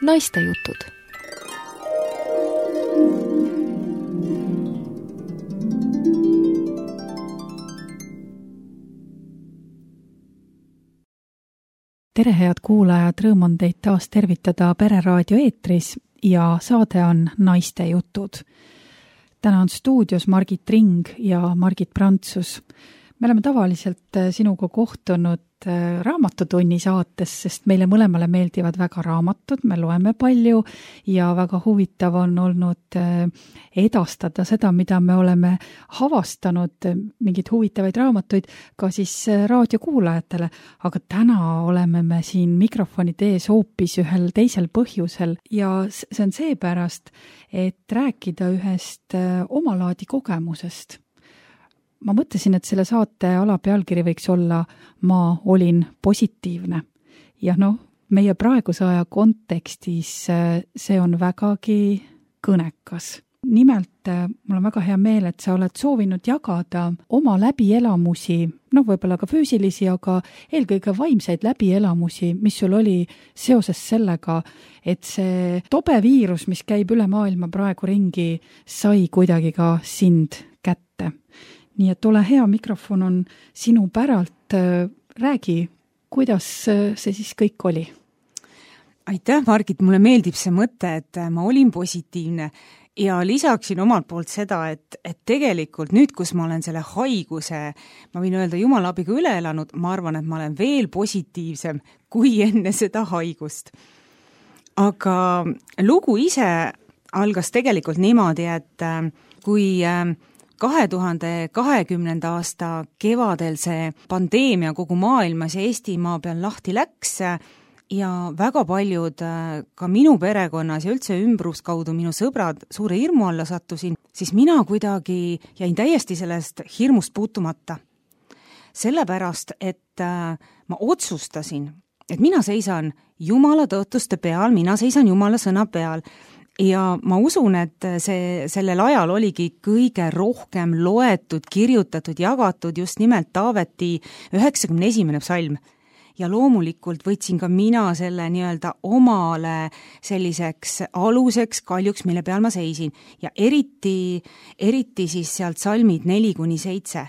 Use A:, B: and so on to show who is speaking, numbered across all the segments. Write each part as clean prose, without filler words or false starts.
A: Naistejutud.
B: Tere, head kuulajad, rõõm on teid taas tervitada Pereraadio eetris ja saade on Naistejutud. Täna on stuudios Margit Ring ja Margit Prantsus. Me oleme tavaliselt sinuga kohtunud raamatutunni saates, sest meile mõlemale meeldivad väga raamatud, me loeme palju ja väga huvitav on olnud edastada seda, mida me oleme avastanud, mingeid huvitavaid raamatuid ka siis raadiokuulajatele. Aga täna oleme me siin mikrofonide ees hoopis ühel teisel põhjusel ja see on seepärast, et rääkida ühest omalaadi kogemusest. Ma mõtlesin, et selle saate alapealkiri võiks olla Ma olin positiivne. Ja meie praeguse aja kontekstis see on vägagi kõnekas. Nimelt, mul on väga hea meel, et sa oled soovinud jagada oma läbielamusi, võib-olla ka füüsilisi, aga eelkõige vaimseid läbielamusi, mis sul oli seoses sellega, et see tobe viirus, mis käib üle maailma praegu ringi, sai kuidagi ka sind kätte. Nii et ole hea, mikrofon on sinu päralt. Räägi, kuidas see siis kõik oli?
C: Aitäh, Margit, mulle meeldib see mõte, et ma olin positiivne ja lisaksin omalt poolt seda, et tegelikult nüüd, kus ma olen selle haiguse, ma võin öelda Jumala abiga üle elanud, ma arvan, et ma olen veel positiivsem kui enne seda haigust. Aga lugu ise algas tegelikult niimoodi, et kui 2020. aasta kevadel see pandeemia kogu maailmas ja Eestimaa peal lahti läks ja väga paljud ka minu perekonnas ja üldse ümbruskaudu minu sõbrad suure hirmu alla sattusin, siis mina kuidagi jäin täiesti sellest hirmust puutumata. Sellepärast, et ma otsustasin, et mina seisan Jumala tõotuste peal, mina seisan Jumala sõna peal. Ja ma usun, et sellel ajal oligi kõige rohkem loetud, kirjutatud, jagatud just nimelt Taaveti 91. psalm. Ja loomulikult võtsin ka mina selle nii-öelda omale selliseks aluseks kaljuks, mille peal ma seisin. Ja eriti siis sealt salmid 4-7.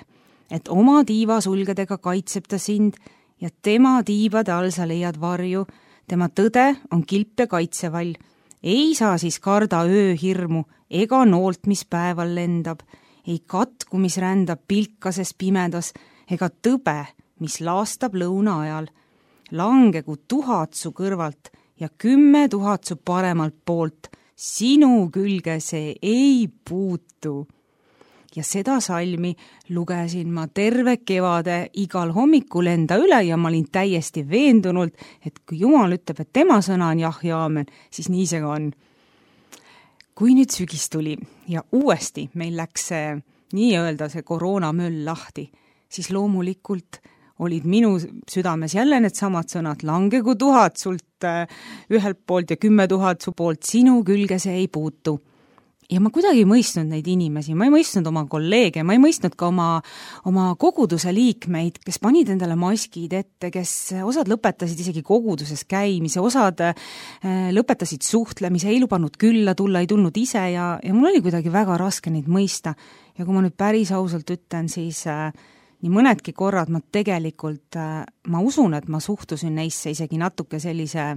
C: Et oma tiiva sulgedega kaitseb ta sind ja tema tiibade all sa leiad varju. Tema tõde on kilp ja kaitsevall. Ei saa siis karda ööhirmu ega noolt, mis päeval lendab, ei katku, mis rändab pilkases pimedas, ega tõbe, mis laastab lõuna ajal. Langegu 1000 su kõrvalt ja 10 000 su paremalt poolt, sinu külge see ei puutu. Ja seda salmi lugesin ma terve kevade igal hommikul enda üle ja ma olin täiesti veendunult, et kui Jumal ütleb, et tema sõna on jah ja aamen, siis nii see ka on. Kui nüüd sügis tuli ja uuesti meil läks see nii-öelda see koroonamöll lahti, siis loomulikult olid minu südames jälle need samad sõnad, langegu 1000 sult ühelt poolt ja 10 000 su poolt, sinu külge see ei puutu. Ja ma kuidagi ei mõistnud neid inimesi, ma ei mõistnud oma kolleege, ma ei mõistnud ka oma koguduse liikmeid, kes panid endale maskid ette, kes osad lõpetasid isegi koguduses käimise, osad lõpetasid suhtlemise, ei lubanud külla tulla, ei tulnud ise ja mul oli kuidagi väga raske neid mõista. Ja kui ma nüüd päris ausalt ütlen, siis nii mõnedki korrad ma tegelikult, ma usun, et ma suhtusin neisse isegi natuke sellise,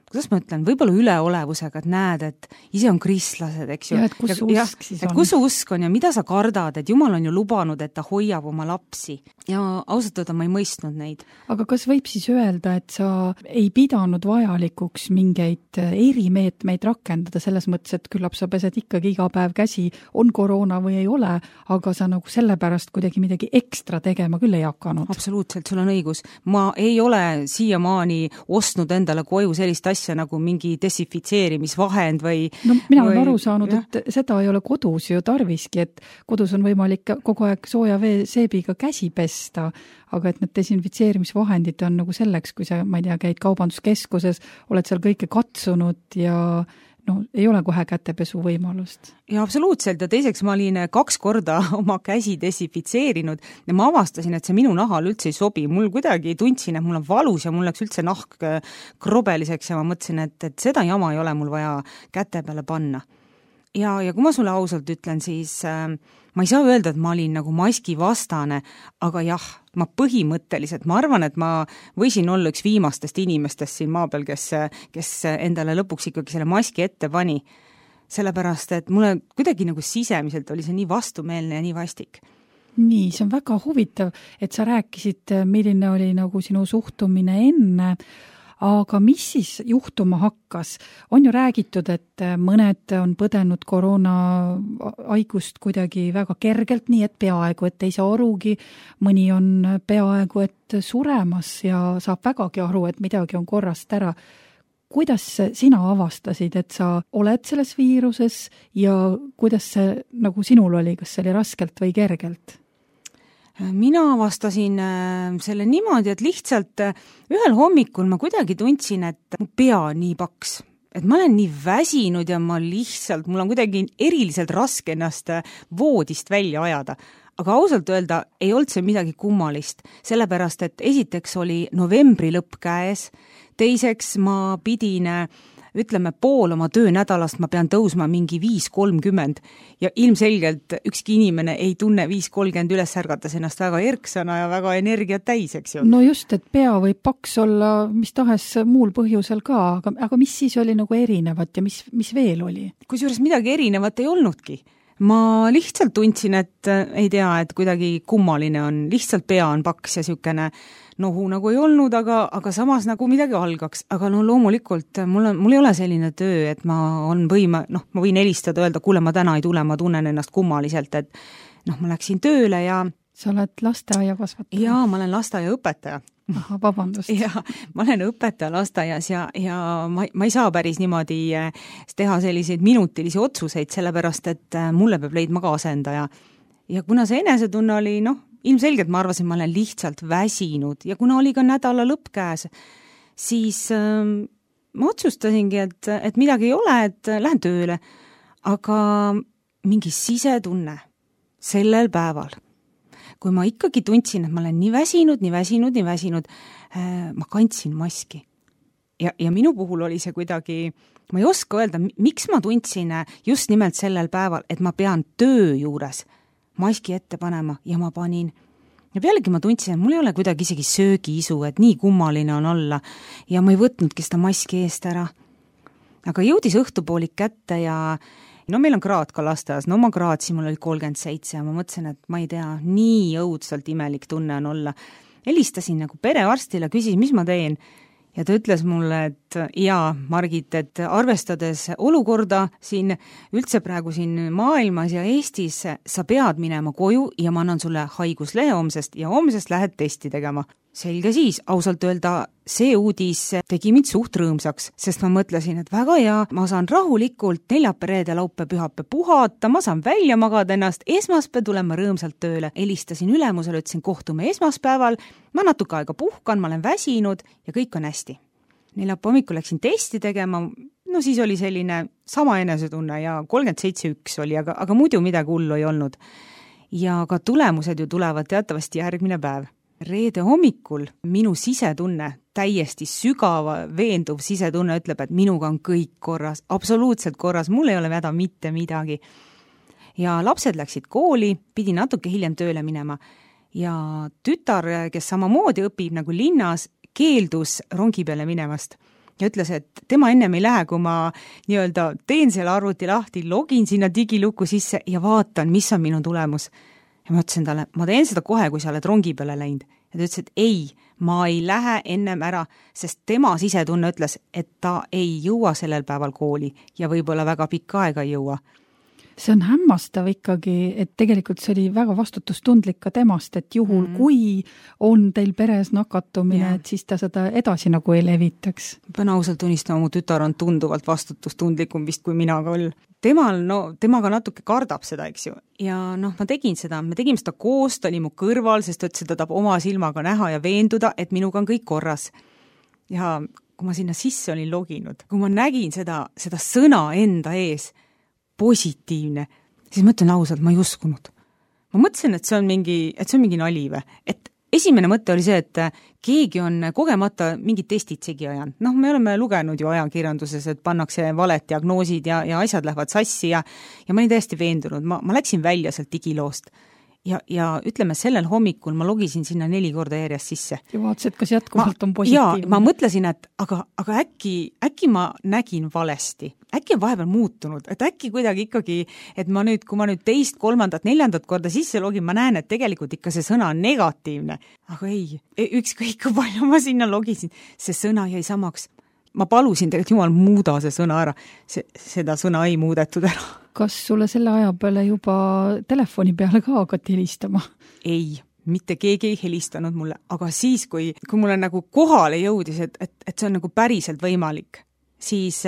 C: kuidas ma ütlen, võib-olla üleolevusega, et näed, et ise on kristlased, eks ju.
B: Ja, et kus su usk siis on.
C: Kus su usk on ja mida sa kardad, et Jumal on ju lubanud, et ta hoiab oma lapsi. Ja ausalt öelda ma ei mõistnud neid.
B: Aga kas võib siis öelda, et sa ei pidanud vajalikuks mingeid erimeetmeid rakendada selles mõttes, et küllap sa pesed ikkagi iga päev käsi, on koroona või ei ole, aga sa nagu sellepärast kuidagi midagi ekstra tegema küll ei hakanud?
C: Absoluutselt, sul on õigus. Ma ei ole siiamaani ostnud endale koju sellist asja nagu mingi desinfitseerimisvahend või...
B: mina olen aru saanud, et seda ei ole kodus ju tarviski, et kodus on võimalik kogu aeg sooja seebiga käsi pesta, aga et need desinfitseerimisvahendid on nagu selleks, kui sa, ma ei tea, käid kaubanduskeskuses, oled seal kõike katsunud ja no ei ole kohe kätepesu võimalust.
C: Ja absoluutselt, ja teiseks ma olin 2 korda oma käsi desinfitseerinud ja ma avastasin, et see minu nahal üldse ei sobi. Mul kuidagi tundsin, et mul on valus ja mul läks üldse nahk krobeliseks ja ma mõtlesin, et seda jama ei ole mul vaja käte peale panna. Ja kui ma sulle ausalt ütlen, siis ma ei saa öelda, et ma olin nagu maski vastane, aga jah, ma põhimõtteliselt, ma arvan, et ma võisin olla üks viimastest inimestest siin maa peal, kes endale lõpuks ikkagi selle maski ette pani. Sellepärast, et mulle kuidagi nagu sisemiselt oli see nii vastumeelne ja nii vastik.
B: Nii, see on väga huvitav, et sa rääkisid, milline oli nagu sinu suhtumine enne, aga mis siis juhtuma hakkas? On ju räägitud, et mõned on põdenud koroona haigust kuidagi väga kergelt, nii et peaaegu, et ei saa arugi, mõni on peaaegu, et suremas ja saab vägagi aru, et midagi on korrast ära. Kuidas sina avastasid, et sa oled selles viiruses ja kuidas see nagu sinul oli, kas see oli raskelt või kergelt?
C: Mina avastasin selle niimoodi, et lihtsalt ühel hommikul ma kuidagi tundsin, et mu pea on nii paks, et ma olen nii väsinud ja mul on kuidagi eriliselt raske ennast voodist välja ajada. Aga ausalt öelda ei olnud see midagi kummalist, sellepärast et esiteks oli novembri lõpp käes, teiseks ma pidin, ütleme, pool oma töönädalast ma pean tõusma mingi 5:30 ja ilmselgelt ükski inimene ei tunne 5:30 üles ärgates ennast väga erksana ja väga energiat täis, eks ju.
B: No just, et pea võib paks olla mis tahes muul põhjusel ka, aga mis siis oli nagu erinevat ja mis veel oli?
C: Kusjuures midagi erinevat ei olnudki. Ma lihtsalt tundsin, et ei tea, et kuidagi kummaline on, lihtsalt pea on paks ja siukene nohu nagu ei olnud, aga samas nagu midagi algaks. Aga no loomulikult mul ei ole selline töö, et ma võin helistada, öelda, kuule, ma täna ei tule, ma tunnen ennast kummaliselt, et ma läksin tööle ja... Sa
B: oled lasteaia kasvataja?
C: Jaa, ma olen lasteaia õpetaja.
B: Aha, vabandust.
C: Ja ma olen õpetaja lasteaias ja ma ei saa päris niimoodi teha selliseid minutilisi otsuseid, sellepärast, et mulle peab leidma ka asendaja. Ja kuna see enesetunne oli, ilmselgelt ma arvasin, ma olen lihtsalt väsinud ja kuna oli ka nädala lõpp käes, siis ma otsustasingi, et midagi ei ole, et lähen tööle. Aga mingi sisetunne sellel päeval, kui ma ikkagi tundsin, et ma olen nii väsinud, ma kandsin maski. Ja minu puhul oli see kuidagi, ma ei oska öelda, miks ma tundsin just nimelt sellel päeval, et ma pean töö juures maski ette panema ja ma panin. Ja pealegi ma tundsin, et mul ei ole kuidagi isegi söögiisu, et nii kummaline on olla ja ma ei võtnudki seda maski eest ära. Aga jõudis õhtupoolik kätte ja meil on kraad ka lasteas, ma kraadsin, mul oli 37 ja ma mõtlesin, et ma ei tea, nii õudselt imelik tunne on olla. Helistasin nagu perearstile, küsis, mis ma teen ja ta ütles mulle, et jaa, Margit, et arvestades olukorda siin üldse praegu siin maailmas ja Eestis, sa pead minema koju ja ma annan sulle haiguslehe homsest ja homsest lähed testi tegema. Selge siis, ausalt öelda, see uudis tegi mind suht rõõmsaks, sest ma mõtlesin, et väga hea, ma saan rahulikult neljapäev, reede, laupäev, pühapäev puhata, ma saan välja magada ennast, esmaspäev tulen ma rõõmsalt tööle. Helistasin ülemusele, ütlesin, kohtume esmaspäeval, ma natuke aega puhkan, ma olen väsinud ja kõik on hästi. Neljapäev hommikul läksin testi tegema, siis oli selline sama enesetunne ja 37,1 oli, aga muidu midagi hullu ei olnud. Ja ka tulemused ju tulevad teatavasti järgmine päev. Reede hommikul minu sisetunne, täiesti sügava veenduv sisetunne ütleb, et minuga on kõik korras, absoluutselt korras, mul ei ole häda mitte midagi. Ja lapsed läksid kooli, pidi natuke hiljem tööle minema ja tütar, kes samamoodi õpib nagu linnas, keeldus rongi peale minemast ja ütles, et tema ennem ei lähe, kui ma teen selle arvuti lahti, login sinna digiluku sisse ja vaatan, mis on minu tulemus. Ja ma ütlesin talle, ma teen seda kohe, kui sa oled rongi peale läinud. Ja ta ütles, et ei, ma ei lähe ennem ära, sest tema sisetunne ütles, et ta ei jõua sellel päeval kooli ja võib-olla väga pikka aega ei jõua.
B: See on hämmastav ikkagi, et tegelikult see oli väga vastutustundlik ka temast, et juhul kui on teil peres nakatumine, et siis ta seda edasi nagu ei levitaks.
C: Pean ausalt tunnistama, mu tütar on tunduvalt vastutustundlikum vist kui mina küll. Temaga natuke kardab seda, eks ju. Ja me tegime seda koos, ta oli mu kõrval, sest ta ütles, et ta tahab oma silmaga näha ja veenduda, et minuga on kõik korras. Ja kui ma sinna sisse olin loginud, kui ma nägin seda sõna enda ees, positiivne, siis ma ütlen ausalt, ma ei uskunud. Ma mõtlesin, et see on mingi nali või. Et esimene mõte oli see, et keegi on kogemata mingid testid segi ajanud. Me oleme lugenud ju ajakirjanduses, et pannakse valet diagnoosid ja asjad lähevad sassi ja ma olin täiesti veendunud. Ma läksin välja sealt digiloost. Ja ütleme, sellel hommikul ma logisin sinna 4 korda järjest sisse.
B: Ja vaatasid, kas jätkuvalt on positiivne.
C: Ja ma mõtlesin, et aga äkki ma nägin valesti. Äkki on vahepeal muutunud, et äkki kuidagi ikkagi, et kui ma nüüd 2., 3., 4. korda sisse login, ma näen, et tegelikult ikka see sõna on negatiivne. Aga ei, ükskõik kui palju ma sinna logisin, see sõna jäi samaks. Ma palusin tegelikult jumal muuda see sõna ära. Seda sõna ei muudetud ära.
B: Kas sulle selle aja peale juba telefoni peale ka hakati helistama?
C: Ei, mitte keegi ei helistanud mulle, aga siis, kui mulle nagu kohale jõudis, et see on nagu päriselt võimalik, siis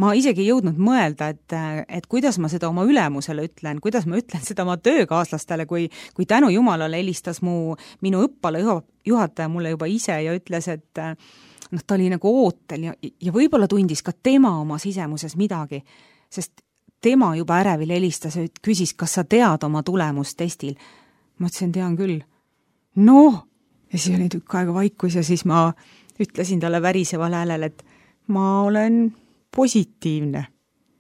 C: ma isegi ei jõudnud mõelda, et kuidas ma seda oma ülemusele ütlen, kuidas ma ütlen seda oma töökaaslastele, kui tänu jumalale helistas minu õppealajuhataja mulle juba ise ja ütles, et ta oli nagu ootel ja võib-olla tundis ka tema oma sisemuses midagi, sest tema juba ärevil helistas ja küsis, kas sa tead oma tulemust testil. Ma ütlesin, tean küll. Ja siis oli tükk aega vaikus ja siis ma ütlesin talle väriseval häälel, et ma olen positiivne.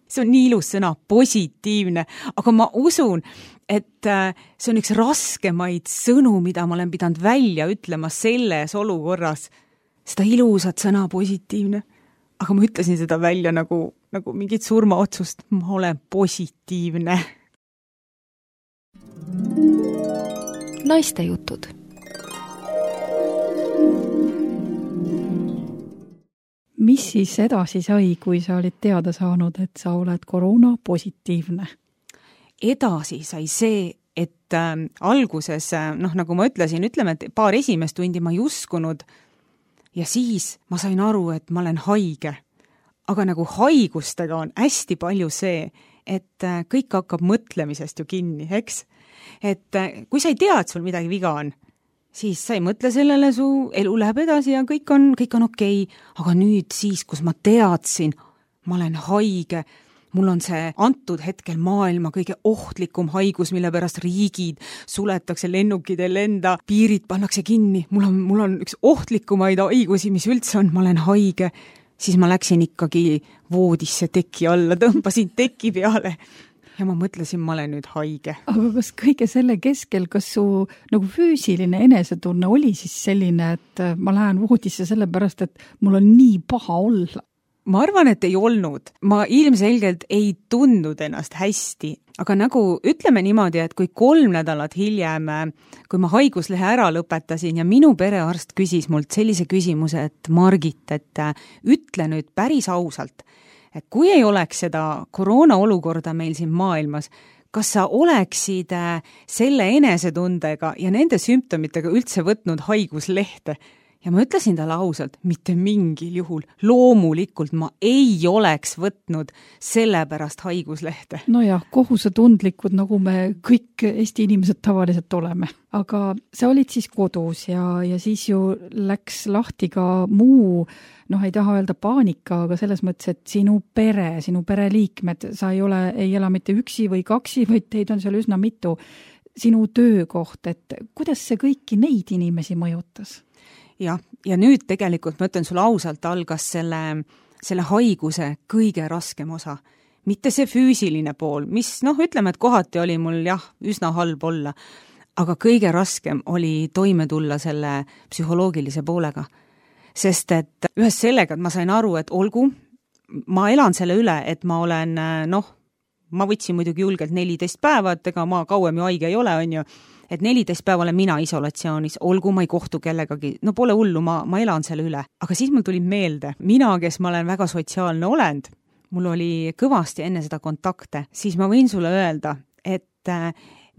C: See on nii ilus sõna, positiivne, aga ma usun, et see on üks raskemaid sõnu, mida ma olen pidanud välja ütlema selles olukorras. Seda ilusat sõna positiivne. Aga ma ütlesin seda välja nagu mingit surmaotsust. Ma olen positiivne.
A: Naiste jutud.
B: Mis siis edasi sai, kui sa olid teada saanud, et sa oled koroona positiivne?
C: Edasi sai see, et alguses, nagu ma ütlesin, ütleme, et paar esimest tundi ma ei uskunud, ja siis ma sain aru, et ma olen haige. Aga nagu haigustega on hästi palju see, et kõik hakkab mõtlemisest ju kinni, eks? Et kui sa ei tea, et sul midagi viga on, siis sa ei mõtle sellele, su elu läheb edasi ja kõik on okei. Aga nüüd siis, kus ma teadsin, ma olen haige, mul on see antud hetkel maailma kõige ohtlikum haigus, mille pärast riigid suletakse, lennukid ei lenda, piirid pannakse kinni. Mul on üks ohtlikumaid haigusi, mis üldse on, ma olen haige. Siis ma läksin ikkagi voodisse teki alla, tõmbasin teki peale ja ma mõtlesin, ma olen nüüd haige.
B: Aga kas kõige selle keskel, kas su nagu füüsiline enesetunne oli siis selline, et ma lähen voodisse sellepärast, et mul on nii paha olla?
C: Ma arvan, et ei olnud. Ma ilmselgelt ei tundnud ennast hästi, aga nagu ütleme niimoodi, et kui 3 nädalat hiljem, kui ma haiguslehe ära lõpetasin ja minu perearst küsis mult sellise küsimuse, et Margit, et ütle nüüd päris ausalt, et kui ei oleks seda koroona olukorda meil siin maailmas, kas sa oleksid selle enesetundega ja nende sümptomitega üldse võtnud haiguslehte? Ja ma ütlesin talle ausalt, mitte mingil juhul, loomulikult ma ei oleks võtnud selle pärast haiguslehte.
B: Nojah, kohusetundlikud, nagu me kõik Eesti inimesed tavaliselt oleme. Aga sa olid siis kodus ja siis ju läks lahti ka muu, ei taha öelda paanika, aga selles mõttes, et sinu pereliikmed, sa ei ela mitte üksi või 2, vaid teid on seal üsna mitu, sinu töökoht, et kuidas see kõiki neid inimesi mõjutas?
C: Ja nüüd tegelikult, ma ütlen sulle ausalt, algas selle haiguse kõige raskem osa. Mitte see füüsiline pool, mis ütleme, et kohati oli mul üsna halb olla, aga kõige raskem oli toime tulla selle psühholoogilise poolega. Sest et ühes sellega, et ma sain aru, et olgu, ma elan selle üle, et ma olen, ma võtsin muidugi julgelt 14 päeva, et ega ma kauem ju haige ei ole, on ju, et 14 päeva olen mina isolatsioonis, olgu ma ei kohtu kellegagi, pole hullu, ma elan selle üle. Aga siis mul tuli meelde, mina, kes ma olen väga sotsiaalne olend, mul oli kõvasti enne seda kontakte, siis ma võin sulle öelda, et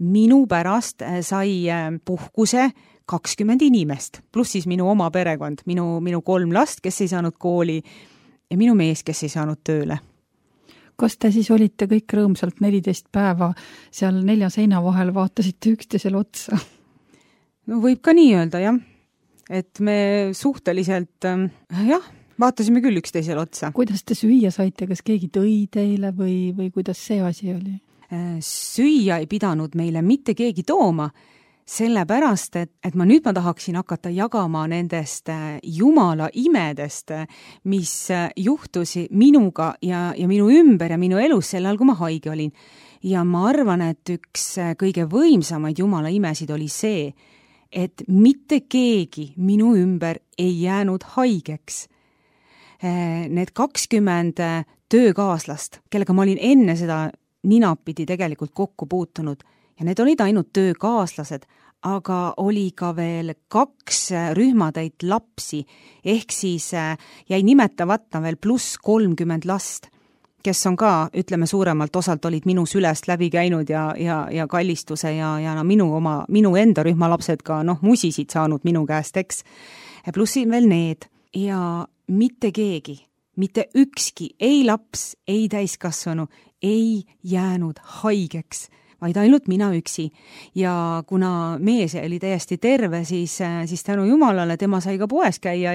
C: minu pärast sai puhkuse 20 inimest, pluss siis minu oma perekond, minu 3 last, kes ei saanud kooli ja minu mees, kes ei saanud tööle.
B: Kas te siis olite kõik rõõmsalt 14 päeva seal 4 seina vahel, vaatasite üksteisele otsa?
C: Võib ka nii öelda, jah. Et me suhteliselt, Vaatasime küll üksteisele otsa.
B: Kuidas te süüa saite, kas keegi tõi teile või kuidas see asi oli?
C: Süüa ei pidanud meile mitte keegi tooma, sellepärast, et ma tahaksin hakata jagama nendest Jumala imedest, mis juhtusi minuga ja minu ümber ja minu elus sel ajal, kui ma haige olin. Ja ma arvan, et üks kõige võimsamaid Jumala imesid oli see, et mitte keegi minu ümber ei jäänud haigeks. Need 20 töökaaslast, kellega ma olin enne seda ninapidi tegelikult kokku puutunud ja need olid ainult töökaaslased, aga oli ka veel 2 rühmatäit lapsi, ehk siis jäi nimetavata veel pluss 30 last, kes on ka, ütleme suuremalt osalt olid minu sülest läbi käinud ja kallistuse ja minu enda rühma lapsed ka musisid saanud minu käest, eks. Plussi veel need ja mitte keegi, mitte ükski, ei laps, ei täiskasvanu, ei jäänud haigeks, vaid ainult mina üksi. Ja kuna mees oli täiesti terve, siis tänu Jumalale tema sai ka poes käia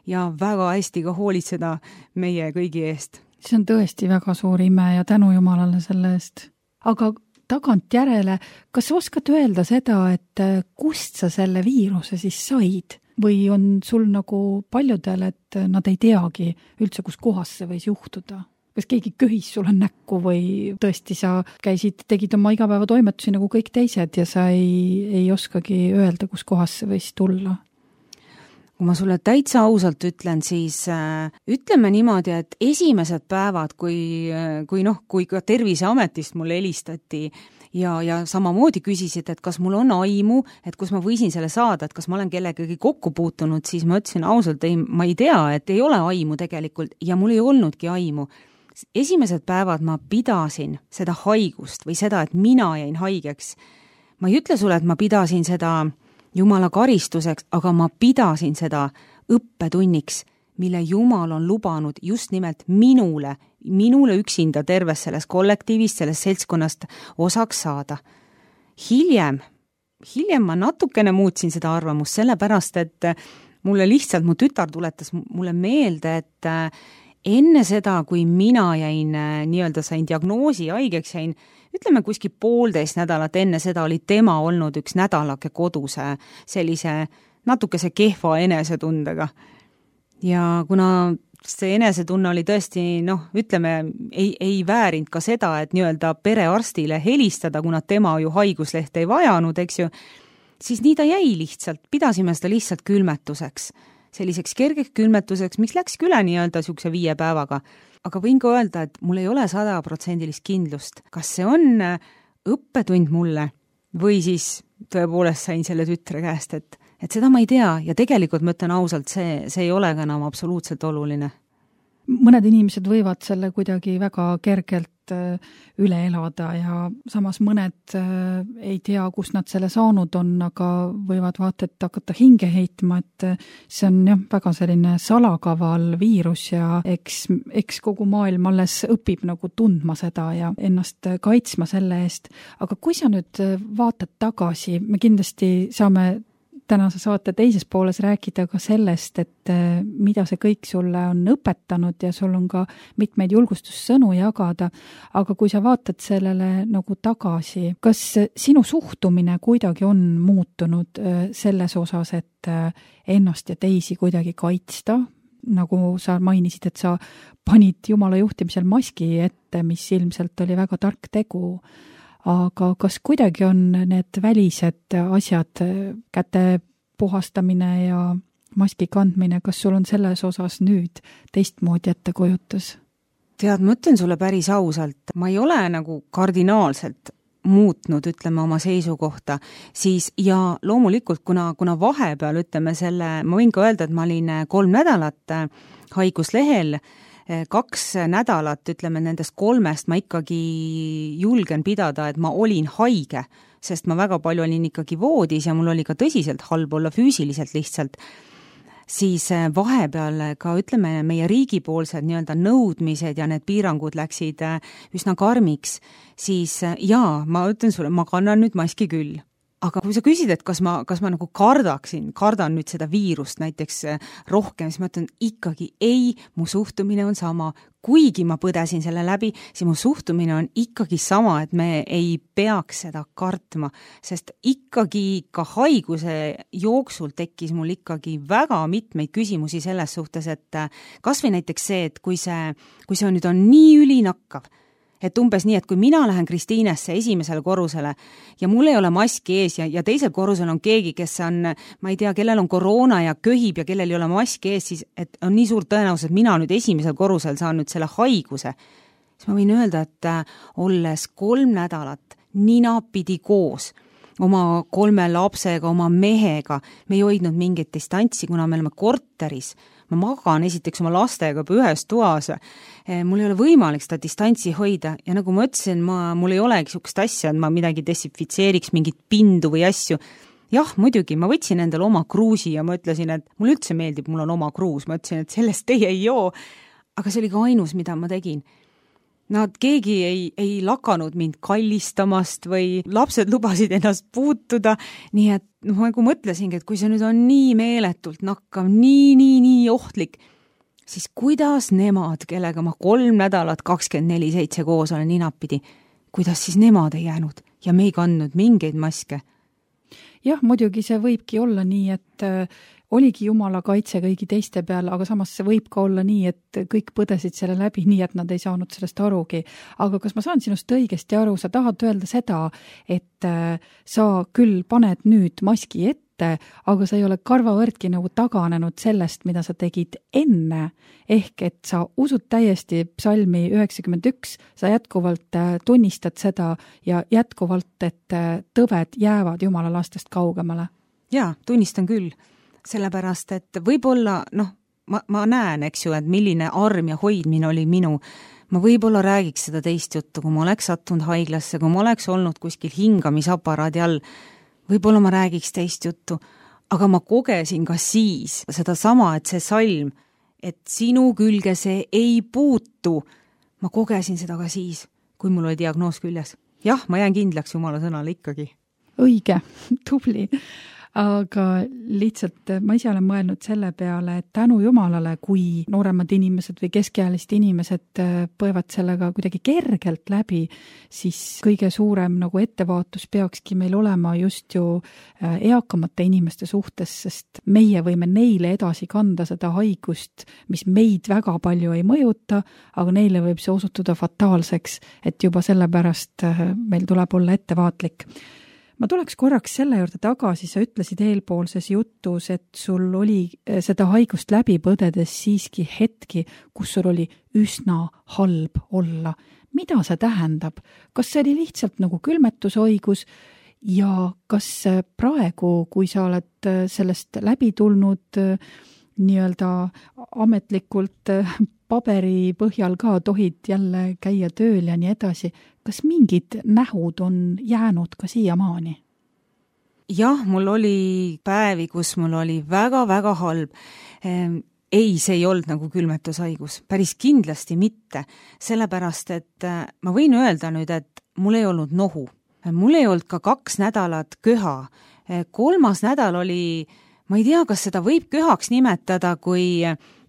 C: ja väga hästi ka hoolitseda meie kõigi eest.
B: See on tõesti väga suur ime ja tänu Jumalale selle eest. Aga tagantjärele, kas oskad öelda seda, et kust sa selle viiruse siis said? Või on sul nagu paljudel, et nad ei teagi üldse, kus kohas see võis juhtuda? Kas keegi köhis sulle näkku või tõesti sa tegid oma igapäeva toimetusi nagu kõik teised ja sa ei oskagi öelda, kus kohas see võis tulla?
C: Kui ma sulle täitsa ausalt ütlen, siis ütleme niimoodi, et esimesed päevad, kui ka Terviseametist mulle helistati ja samamoodi küsisid, et kas mul on aimu, et kus ma võisin selle saada, et kas ma olen kellegagi kokku puutunud, siis ma ütlesin ausalt, ma ei tea, et ei ole aimu tegelikult ja mul ei olnudki aimu. Esimesed päevad ma pidasin seda haigust või seda, et mina jäin haigeks. Ma ei ütle sulle, et ma pidasin seda Jumala karistuseks, aga ma pidasin seda õppetunniks, mille Jumal on lubanud just nimelt minule üksinda terves selles kollektiivist, selles seltskonnast osaks saada. Hiljem ma natukene muutsin seda arvamust, sellepärast, et mulle lihtsalt mu tütar tuletas mulle meelde, et enne seda, kui mina sain diagnoosi haigeks, ütleme kuskil 1,5 nädalat enne seda oli tema olnud üks nädalake koduse sellise natukese kehva enesetundega. Ja kuna see enesetunne oli tõesti, ütleme, ei väärinud ka seda, et perearstile helistada, kuna tema ju haiguslehte ei vajanud, eks ju, siis nii ta jäi lihtsalt, pidasime seda lihtsalt külmetuseks. Selliseks kergeks külmetuseks, mis läks üle siukse 5 päevaga. Aga võin ka öelda, et mul ei ole 100% kindlust, kas see on õppetund mulle või siis tõepoolest sain selle tütre käest, et seda ma ei tea ja tegelikult ma ütlen ausalt, see ei ole ka enam absoluutselt oluline.
B: Mõned inimesed võivad selle kuidagi väga kergelt üle elada ja samas mõned ei tea, kus nad selle saanud on, aga võivad vaata, et hakata hinge heitma, et see on väga selline salakaval viirus ja eks kogu maailm alles õpib nagu tundma seda ja ennast kaitsma selle eest. Aga kui sa nüüd vaatad tagasi, me kindlasti saame tänase saate teises pooles rääkida ka sellest, et mida see kõik sulle on õpetanud ja sul on ka mitmeid julgustussõnu jagada, aga kui sa vaatad sellele nagu tagasi, kas sinu suhtumine kuidagi on muutunud selles osas, et ennast ja teisi kuidagi kaitsta, nagu sa mainisid, et sa panid Jumala juhtimisel maski ette, mis ilmselt oli väga tark tegu, aga kas kuidagi on need välised asjad, käte puhastamine ja maski kandmine, kas sul on selles osas nüüd teistmoodi ettekujutus?
C: Tead, ma ütlen sulle päris ausalt, ma ei ole nagu kardinaalselt muutnud, ütleme, oma seisukohta, siis ja loomulikult, kuna vahepeal, ütleme ma võin ka öelda, et ma olin 3 nädalat haiguslehel, 2 nädalat, ütleme, nendest 3 ma ikkagi julgen pidada, et ma olin haige, sest ma väga palju olin ikkagi voodis ja mul oli ka tõsiselt halb olla füüsiliselt lihtsalt, siis vahepeal ka, ütleme, meie riigipoolsed nõudmised ja need piirangud läksid üsna karmiks, siis ma ütlen sulle, ma kannan nüüd maski küll. aga kui sa küsid, et kas ma nagu kardan nüüd seda viirust näiteks rohkem, siis ma ütlen ikkagi ei, mu suhtumine on sama. Kuigi ma põdesin selle läbi, siis mu suhtumine on ikkagi sama, et me ei peaks seda kartma, sest ikkagi ka haiguse jooksul tekkis mul ikkagi väga mitmeid küsimusi selles suhtes, et kas või näiteks see, et kui see nüüd on nii ülinakkav, et umbes nii, et kui mina lähen Kristiinesse esimesele korrusele ja mul ei ole maski ees ja teisel korrusel on keegi, kes on, ma ei tea, kellel on koroona ja köhib ja kellel ei ole maski ees, siis et on nii suur tõenäosus, et mina nüüd esimesel korrusel saan nüüd selle haiguse. Siis ma võin öelda, et olles 3 nädalat ninapidi koos oma 3 lapsega, oma mehega, me ei hoidnud mingit distantsi, kuna me oleme korteris. Ma magan esiteks oma lastega ühes toas, mul ei ole võimalik seda distantsi hoida ja nagu ma ütlesin, mul ei olegi sihukest asja, et ma midagi desinfitseeriks, mingit pindu või asju. Jah, muidugi, ma võtsin endale oma kruusi ja ma ütlesin, et mul üldse meeldib, mul on oma kruus, ma ütlesin, et sellest teie ei joo, aga see oli ka ainus, mida ma tegin. Keegi ei lakanud mind kallistamast või lapsed lubasid ennast puutuda, nii et ma nagu mõtlesingi, et kui see nüüd on nii meeletult nakkav, nii ohtlik, siis kuidas nemad, kellega ma 3 nädalat 24/7 koos olen ninapidi, kuidas siis nemad ei jäänud ja me ei kandnud mingeid maske?
B: Jah, muidugi see võibki olla nii, et oligi Jumala kaitse kõigi teiste peal, aga samas see võib ka olla nii, et kõik põdesid selle läbi nii, et nad ei saanud sellest arugi. Aga kas ma saan sinust õigesti aru, sa tahad öelda seda, et sa küll paned nüüd maski ette, aga sa ei ole karvavõrdki nagu taganenud sellest, mida sa tegid enne, ehk et sa usud täiesti psalmi 91, sa jätkuvalt tunnistad seda ja jätkuvalt, et tõved jäävad Jumala lastest kaugemale?
C: Jaa, tunnistan küll. Sellepärast, et võib-olla, ma näen, eks ju, et milline arm ja hoidmine oli minu. Ma võib-olla räägiks seda teist juttu, kui ma oleks sattunud haiglasse, kui ma oleks olnud kuskil hingamisaparaadi all. Võib-olla ma räägiks teist juttu, aga ma kogesin ka siis seda sama, et see salm, et sinu külge see ei puutu. Ma kogesin seda ka siis, kui mul oli diagnoos küljes. Jah, ma jään kindlaks Jumala sõnale ikkagi.
B: Õige, tubli. Aga lihtsalt ma ise olen mõelnud selle peale, et tänu Jumalale, kui nooremad inimesed või keskealist inimesed põevad sellega kuidagi kergelt läbi, siis kõige suurem nagu ettevaatus peakski meil olema just ju eakamate inimeste suhtes, sest meie võime neile edasi kanda seda haigust, mis meid väga palju ei mõjuta, aga neile võib see osutuda fataalseks, et juba sellepärast meil tuleb olla ettevaatlik. Ma tuleks korraks selle juurde tagasi, sa ütlesid eelpoolses jutus, et sul oli seda haigust läbi põdedes siiski hetki, kus sul oli üsna halb olla. Mida see tähendab? Kas see oli lihtsalt nagu külmetushaigus ja kas praegu, kui sa oled sellest läbi tulnud nii-öelda ametlikult paberi põhjal ka tohid jälle käia tööl ja nii edasi, kas mingid nähud on jäänud ka siiamaani?
C: Jah, mul oli päevi, kus mul oli väga-väga halb. Ei, see ei olnud nagu külmetushaigus. Päris kindlasti mitte. Sellepärast, et ma võin öelda nüüd, et mul ei olnud nohu. Mul ei olnud ka 2 nädalat köha. 3. nädal oli, ma ei tea, kas seda võib köhaks nimetada, kui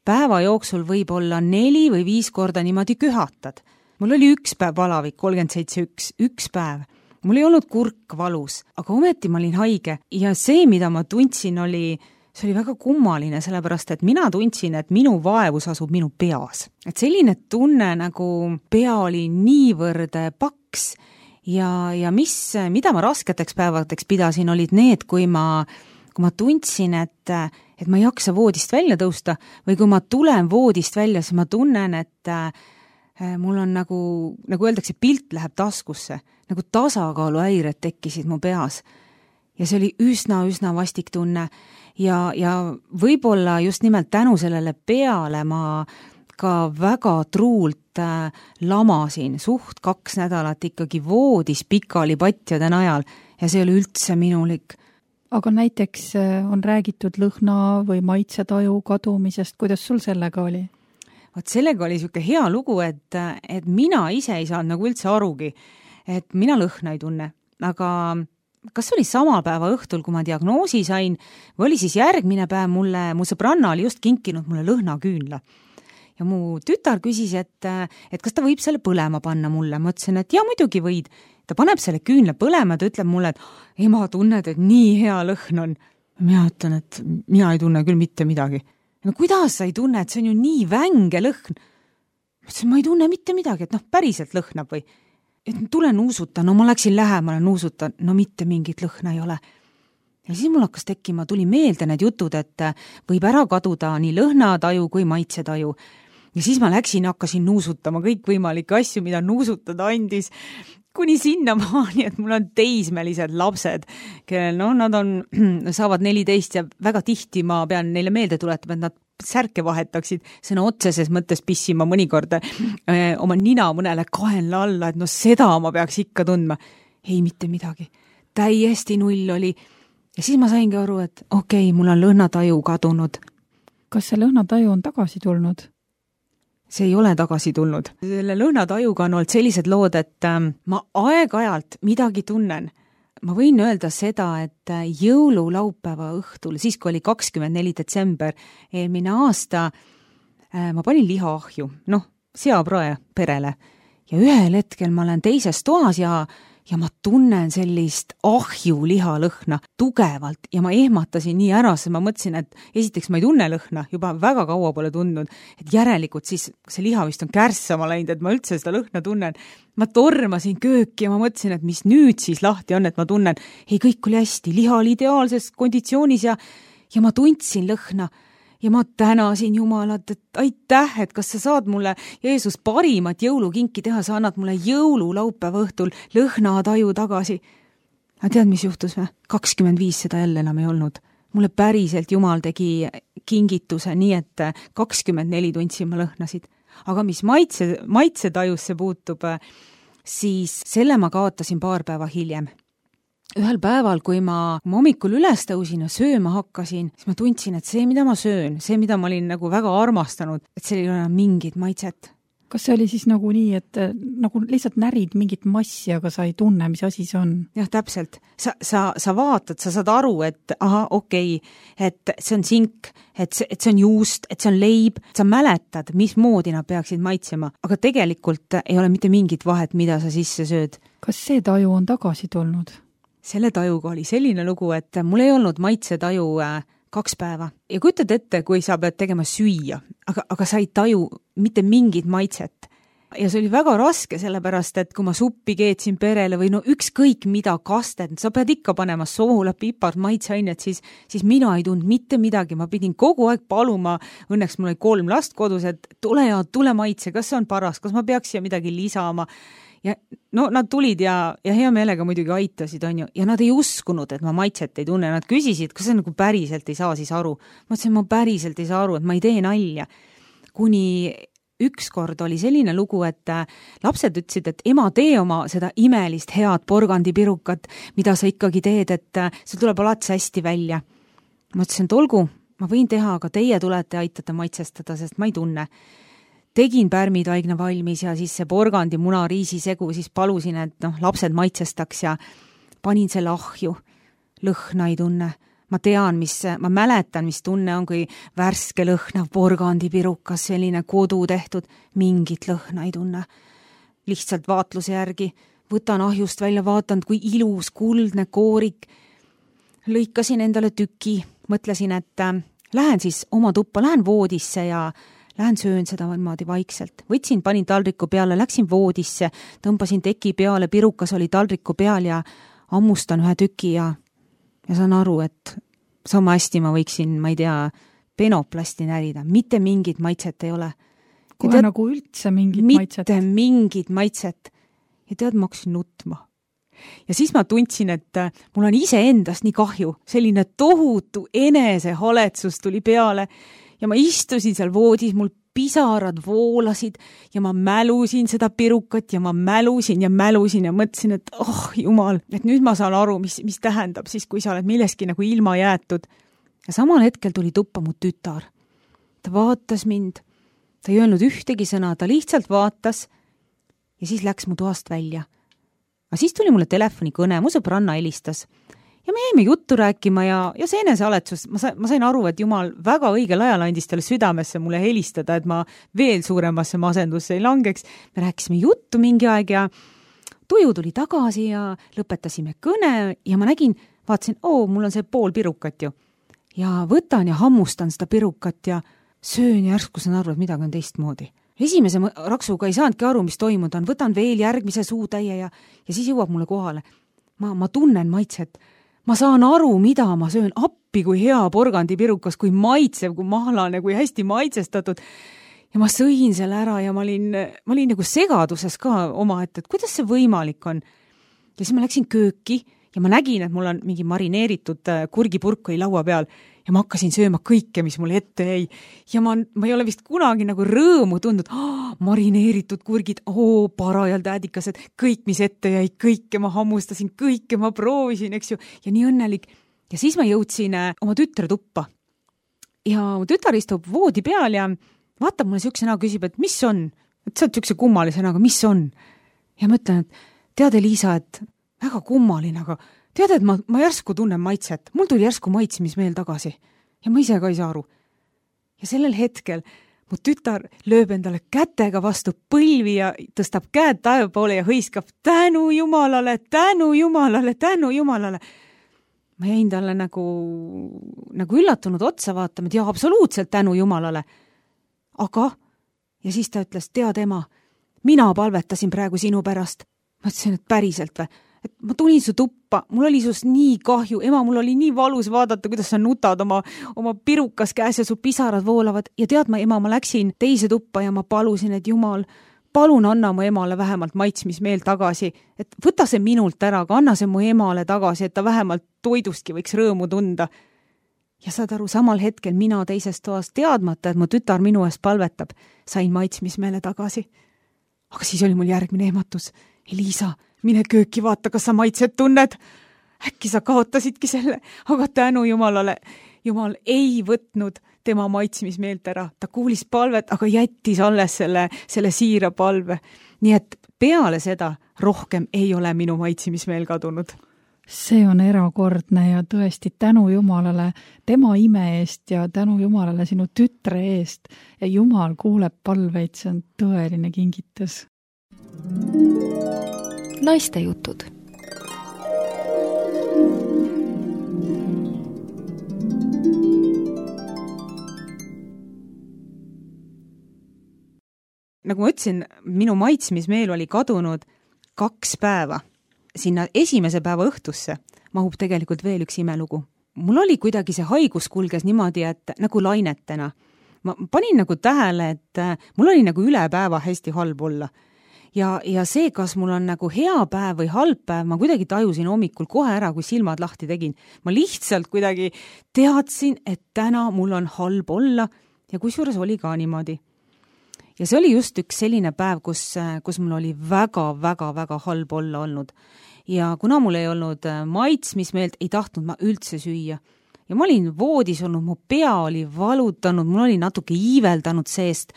C: päeva jooksul võib olla 4 või 5 korda niimoodi köhatad. Mul oli 1 päev palavik, 37.1, 1 päev. Mul ei olnud kurk valus, aga ometi ma olin haige ja see, mida ma tundsin, see oli väga kummaline, sellepärast, et mina tundsin, et minu vaevus asub minu peas. Et selline tunne, nagu pea oli niivõrd paks ja mida ma rasketeks päevadeks pidasin, olid need, kui ma tundsin, et ma ei jaksa voodist välja tõusta või kui ma tulen voodist välja, siis ma tunnen, et mul on nagu öeldakse, pilt läheb taskusse, nagu tasakaaluhäired tekkisid mu peas. Ja see oli üsna vastik tunne ja võib-olla just nimelt tänu sellele peale ma ka väga truult lamasin, suht 2 nädalat ikkagi voodis pikali patjade najal ja see oli üldse minulik.
B: Aga näiteks on räägitud lõhna või maitsetaju kadumisest, kuidas sul sellega oli?
C: Vaat sellega oli siuke hea lugu, et mina ise ei saanud nagu üldse arugi, et mina lõhna ei tunne, aga kas oli sama päeva õhtul, kui ma diagnoosi sain, või oli siis järgmine päev mu sõbranna oli just kinkinud mulle lõhnaküünla. Ja mu tütar küsis, et kas ta võib selle põlema panna mulle. Ma ütlesin, et ja muidugi võid. Ta paneb selle küünla põlema, ta ütleb mulle, et ema, tunned, et nii hea lõhn on. Mina ütlen, et mina ei tunne küll mitte midagi. No kuidas sa ei tunne, et see on ju nii vänge lõhn? Ma ütlesin, ma ei tunne mitte midagi, et päriselt lõhnab või? Et tule nuusuta, no ma läksin lähemale nuusuta, no mitte mingit lõhna ei ole. Ja siis mul hakkas tekkima, tuli meelde need jutud, et võib ära kaduda nii lõhnataju kui maitsetaju. Ja siis ma läksin ja hakkasin nuusutama kõik võimalikke asju, mida nuusutada andis, kuni sinna maani, et mul on teismelised lapsed, kellel nad saavad 14 ja väga tihti ma pean neile meelde tuletama, et nad särke vahetaksid, sõna otseses mõttes pissima mõnikord oma nina mõnele kaenla alla, et seda ma peaks ikka tundma. Ei, mitte midagi. Täiesti null oli. Ja siis ma saingi aru, et okei, mul on lõhnataju kadunud.
B: Kas see lõhnataju on tagasi tulnud?
C: See ei ole tagasi tulnud. Selle lõhnatajuga on olnud sellised lood, et ma aeg-ajalt midagi tunnen. Ma võin öelda seda, et jõululaupäeva õhtul, siis kui oli 24. detsember eelmine aasta, ma panin lihaahju, seaprae perele. Ja ühel hetkel ma olen teises toas ja ma tunnen sellist ahju lihalõhna tugevalt ja ma ehmatasin nii ära, sest ma mõtlesin, et esiteks ma ei tunne lõhna, juba väga kaua pole tundnud, et järelikult siis see liha vist on kärssama läinud, et ma üldse seda lõhna tunnen. Ma tormasin kööki ja ma mõtlesin, et mis nüüd siis lahti on, et ma tunnen, ei, kõik oli hästi, liha oli ideaalses konditsioonis ja ma tundsin lõhna. Ja ma tänasin Jumalat, et aitäh, et kas sa saad mulle, Jeesus, parimat jõulukinki teha, sa annad mulle jõululaupäeva õhtul lõhnataju tagasi. Aga tead, mis juhtus või? 25 seda jälle enam ei olnud. Mulle päriselt Jumal tegi kingituse nii, et 24 tundsin ma lõhnasid. Aga mis maitsetajusse puutub, siis selle ma kaotasin paar päeva hiljem. Ühel päeval, kui ma hommikul üles tõusin ja sööma hakkasin, siis ma tundsin, et see, mida ma söön, see, mida ma olin väga armastanud, et see ei ole mingit maitset.
B: Kas see oli siis nagu nii, et nagu lihtsalt närid mingit massi, aga sa ei tunne, mis asi see on?
C: Jah, täpselt. Sa vaatad, sa saad aru, et okei, et see on sink, et see on juust, et see on leib. Sa mäletad, mismoodi nad peaksid maitsema, aga tegelikult ei ole mitte mingit vahet, mida sa sisse sööd.
B: Kas see taju on tagasi tulnud?
C: Selle tajuga oli selline lugu, et mul ei olnud maitsetaju 2 päeva. Ja kujutad ette, kui sa pead tegema süüa, aga sa ei taju mitte mingit maitset. Ja see oli väga raske, sellepärast, et kui ma suppi keetsin perele või ükskõik mida kasted, sa pead ikka panema soola, pipart, maitseainet, siis mina ei tundnud mitte midagi. Ma pidin kogu aeg paluma, õnneks mul oli 3 last kodus, et tule maitse, kas see on paras, kas ma peaks siia midagi lisama. Ja nad tulid ja hea meelega muidugi aitasid, ja nad ei uskunud, et ma maitset ei tunne. Nad küsisid, kas see nagu päriselt ei saa siis aru. Ma ütlesin, ma päriselt ei saa aru, et ma ei tee nalja. Kuni ükskord oli selline lugu, et lapsed ütlesid, et ema, tee oma seda imelist head porgandipirukat, mida sa ikkagi teed, et see tuleb alati hästi välja. Ma ütlesin, et olgu, ma võin teha, aga teie tulete aitate maitsestada, sest ma ei tunne. Tegin pärmitaigna valmis ja siis see porgandi muna riisisegu, siis palusin, et lapsed maitsestaks ja panin selle ahju. Lõhna ei tunne. Ma mäletan, mis tunne on, kui värske lõhnav porgandipirukas, selline kodu tehtud, mingit lõhna ei tunne. Lihtsalt vaatluse järgi, võtan ahjust välja, vaatan, kui ilus, kuldne koorik. Lõikasin endale tüki, mõtlesin, et lähen siis oma tuppa, lähen voodisse ja lähen söön seda niimoodi vaikselt. Võtsin, panin taldriku peale, läksin voodisse, tõmbasin teki peale, pirukas oli taldriku peal ja ammustan ühe tüki ja saan aru, et sama hästi ma võiksin, ma ei tea, penoplasti närida. Mitte mingit maitset ei ole.
B: Kohe nagu üldse mingit maitset?
C: Mitte mingit maitset. Ja tead, ma hakkasin nutma. Ja siis ma tundsin, et mul on iseendast nii kahju. Selline tohutu enesehaletsus tuli peale. Ja ma istusin seal voodis, mul pisarad voolasid ja ma mälusin seda pirukat ja ma mälusin ja mõtlesin, et Jumal, et nüüd ma saan aru, mis tähendab siis, kui sa oled milleski nagu ilma jäetud. Ja samal hetkel tuli tuppa mu tütar. Ta vaatas mind, ta ei öelnud ühtegi sõna, ta lihtsalt vaatas ja siis läks mu toast välja. Aga siis tuli mulle telefonikõne, mu sõbranna helistas. Ja me jäime juttu rääkima ja see enesealetsus, ma sain aru, et Jumal väga õigel ajal andis talle südamesse mulle helistada, et ma veel suuremasse masendusse ei langeks. Me rääkisime juttu mingi aeg ja tuju tuli tagasi ja lõpetasime kõne ja ma vaatasin, mul on see pool pirukat ju. Ja võtan ja hammustan seda pirukat ja söön ja järsku saan aru, et midagi on teistmoodi. Esimese raksuga ei saanudki aru, mis toimuda on, võtan veel järgmise suutäie ja siis jõuab mulle kohale. Ma tunnen maitset. Ma saan aru, mida ma söön, appi kui hea porgandipirukas, kui maitsev, kui mahlane, kui hästi maitsestatud. Ja ma sõin selle ära ja ma olin nagu segaduses ka omaette, et kuidas see võimalik on. Ja siis ma läksin kööki ja ma nägin, et mul on mingi marineeritud kurgipurk oli laua peal ja ma hakkasin sööma kõike, mis mulle ette jäi. Ja ma ei ole vist kunagi nagu rõõmu tundnud, marineeritud kurgid, parajalt äädikased, kõik, mis ette jäi, kõike ma hammustasin, kõike ma proovisin, eks ju, ja nii õnnelik. Ja siis ma jõudsin oma tütre tuppa. Ja mu tütar istub voodi peal ja vaatab mulle siukse näo, küsib, et mis on? Et sa oled siukse kummalise näoga, mis on? Ja ma ütlen, et tead, Liisa, et väga kummaline, aga tead, et ma järsku tunnen maitset. Mul tuli järsku maitsmismeel tagasi. Ja ma ise ka ei saa aru. Ja sellel hetkel mu tütar lööb endale kätega vastu põlvi ja tõstab käed taeva poole ja hõiskab tänu Jumalale, tänu Jumalale, tänu Jumalale. Ma jäin talle nagu üllatunud otsa vaatama, et absoluutselt tänu Jumalale. Aga, ja siis ta ütles, tead ema, mina palvetasin praegu sinu pärast. Ma ütlesin, et päriselt või? Et ma tulin su tuppa, mul oli sust nii kahju, ema, mul oli nii valus vaadata, kuidas sa nutad oma pirukas käes ja su pisarad voolavad. Ja tead ma, ema, ma läksin teise tuppa ja ma palusin, et Jumal, palun anna mu emale vähemalt maitsmismeel tagasi. Et võta see minult ära, aga anna see mu emale tagasi, et ta vähemalt toidustki võiks rõõmu tunda. Ja saad aru, samal hetkel mina teises toas teadmata, et mu tütar minu eest palvetab, sain maitsmismeele tagasi. Aga siis oli mul järgmine ehmatus. Liisa, mine kööki, vaata, kas sa maitset tunned. Äkki sa kaotasidki selle, aga tänu Jumalale. Jumal ei võtnud tema maitsmismeelt ära. Ta kuulis palvet, aga jättis alles selle siira palve. Nii et peale seda rohkem ei ole minu maitsmismeel kadunud.
B: See on erakordne ja tõesti tänu Jumalale tema ime eest ja tänu Jumalale sinu tütre eest. Ja Jumal kuuleb palveid, see on tõeline kingitus.
A: Naistejutud.
C: Nagu ma ütlesin, minu maitsmismeel oli kadunud 2 päeva. Sinna esimese päeva õhtusse mahub tegelikult veel üks imelugu. Mul oli kuidagi see haigus kulges niimoodi, et nagu lainetena. Ma panin nagu tähele, et mul oli nagu üle päeva hästi halb olla. Ja see, kas mul on nagu hea päev või halb päev, ma kuidagi tajusin hommikul kohe ära, kui silmad lahti tegin. Ma lihtsalt kuidagi teadsin, et täna mul on halb olla ja kusjuures oli ka niimoodi. Ja see oli just üks selline päev, kus mul oli väga halb olla olnud. Ja kuna mul ei olnud maitsmismeelt, ei tahtnud ma üldse süüa. Ja ma olin voodis olnud, mu pea oli valutanud, mul oli natuke iiveldanud seest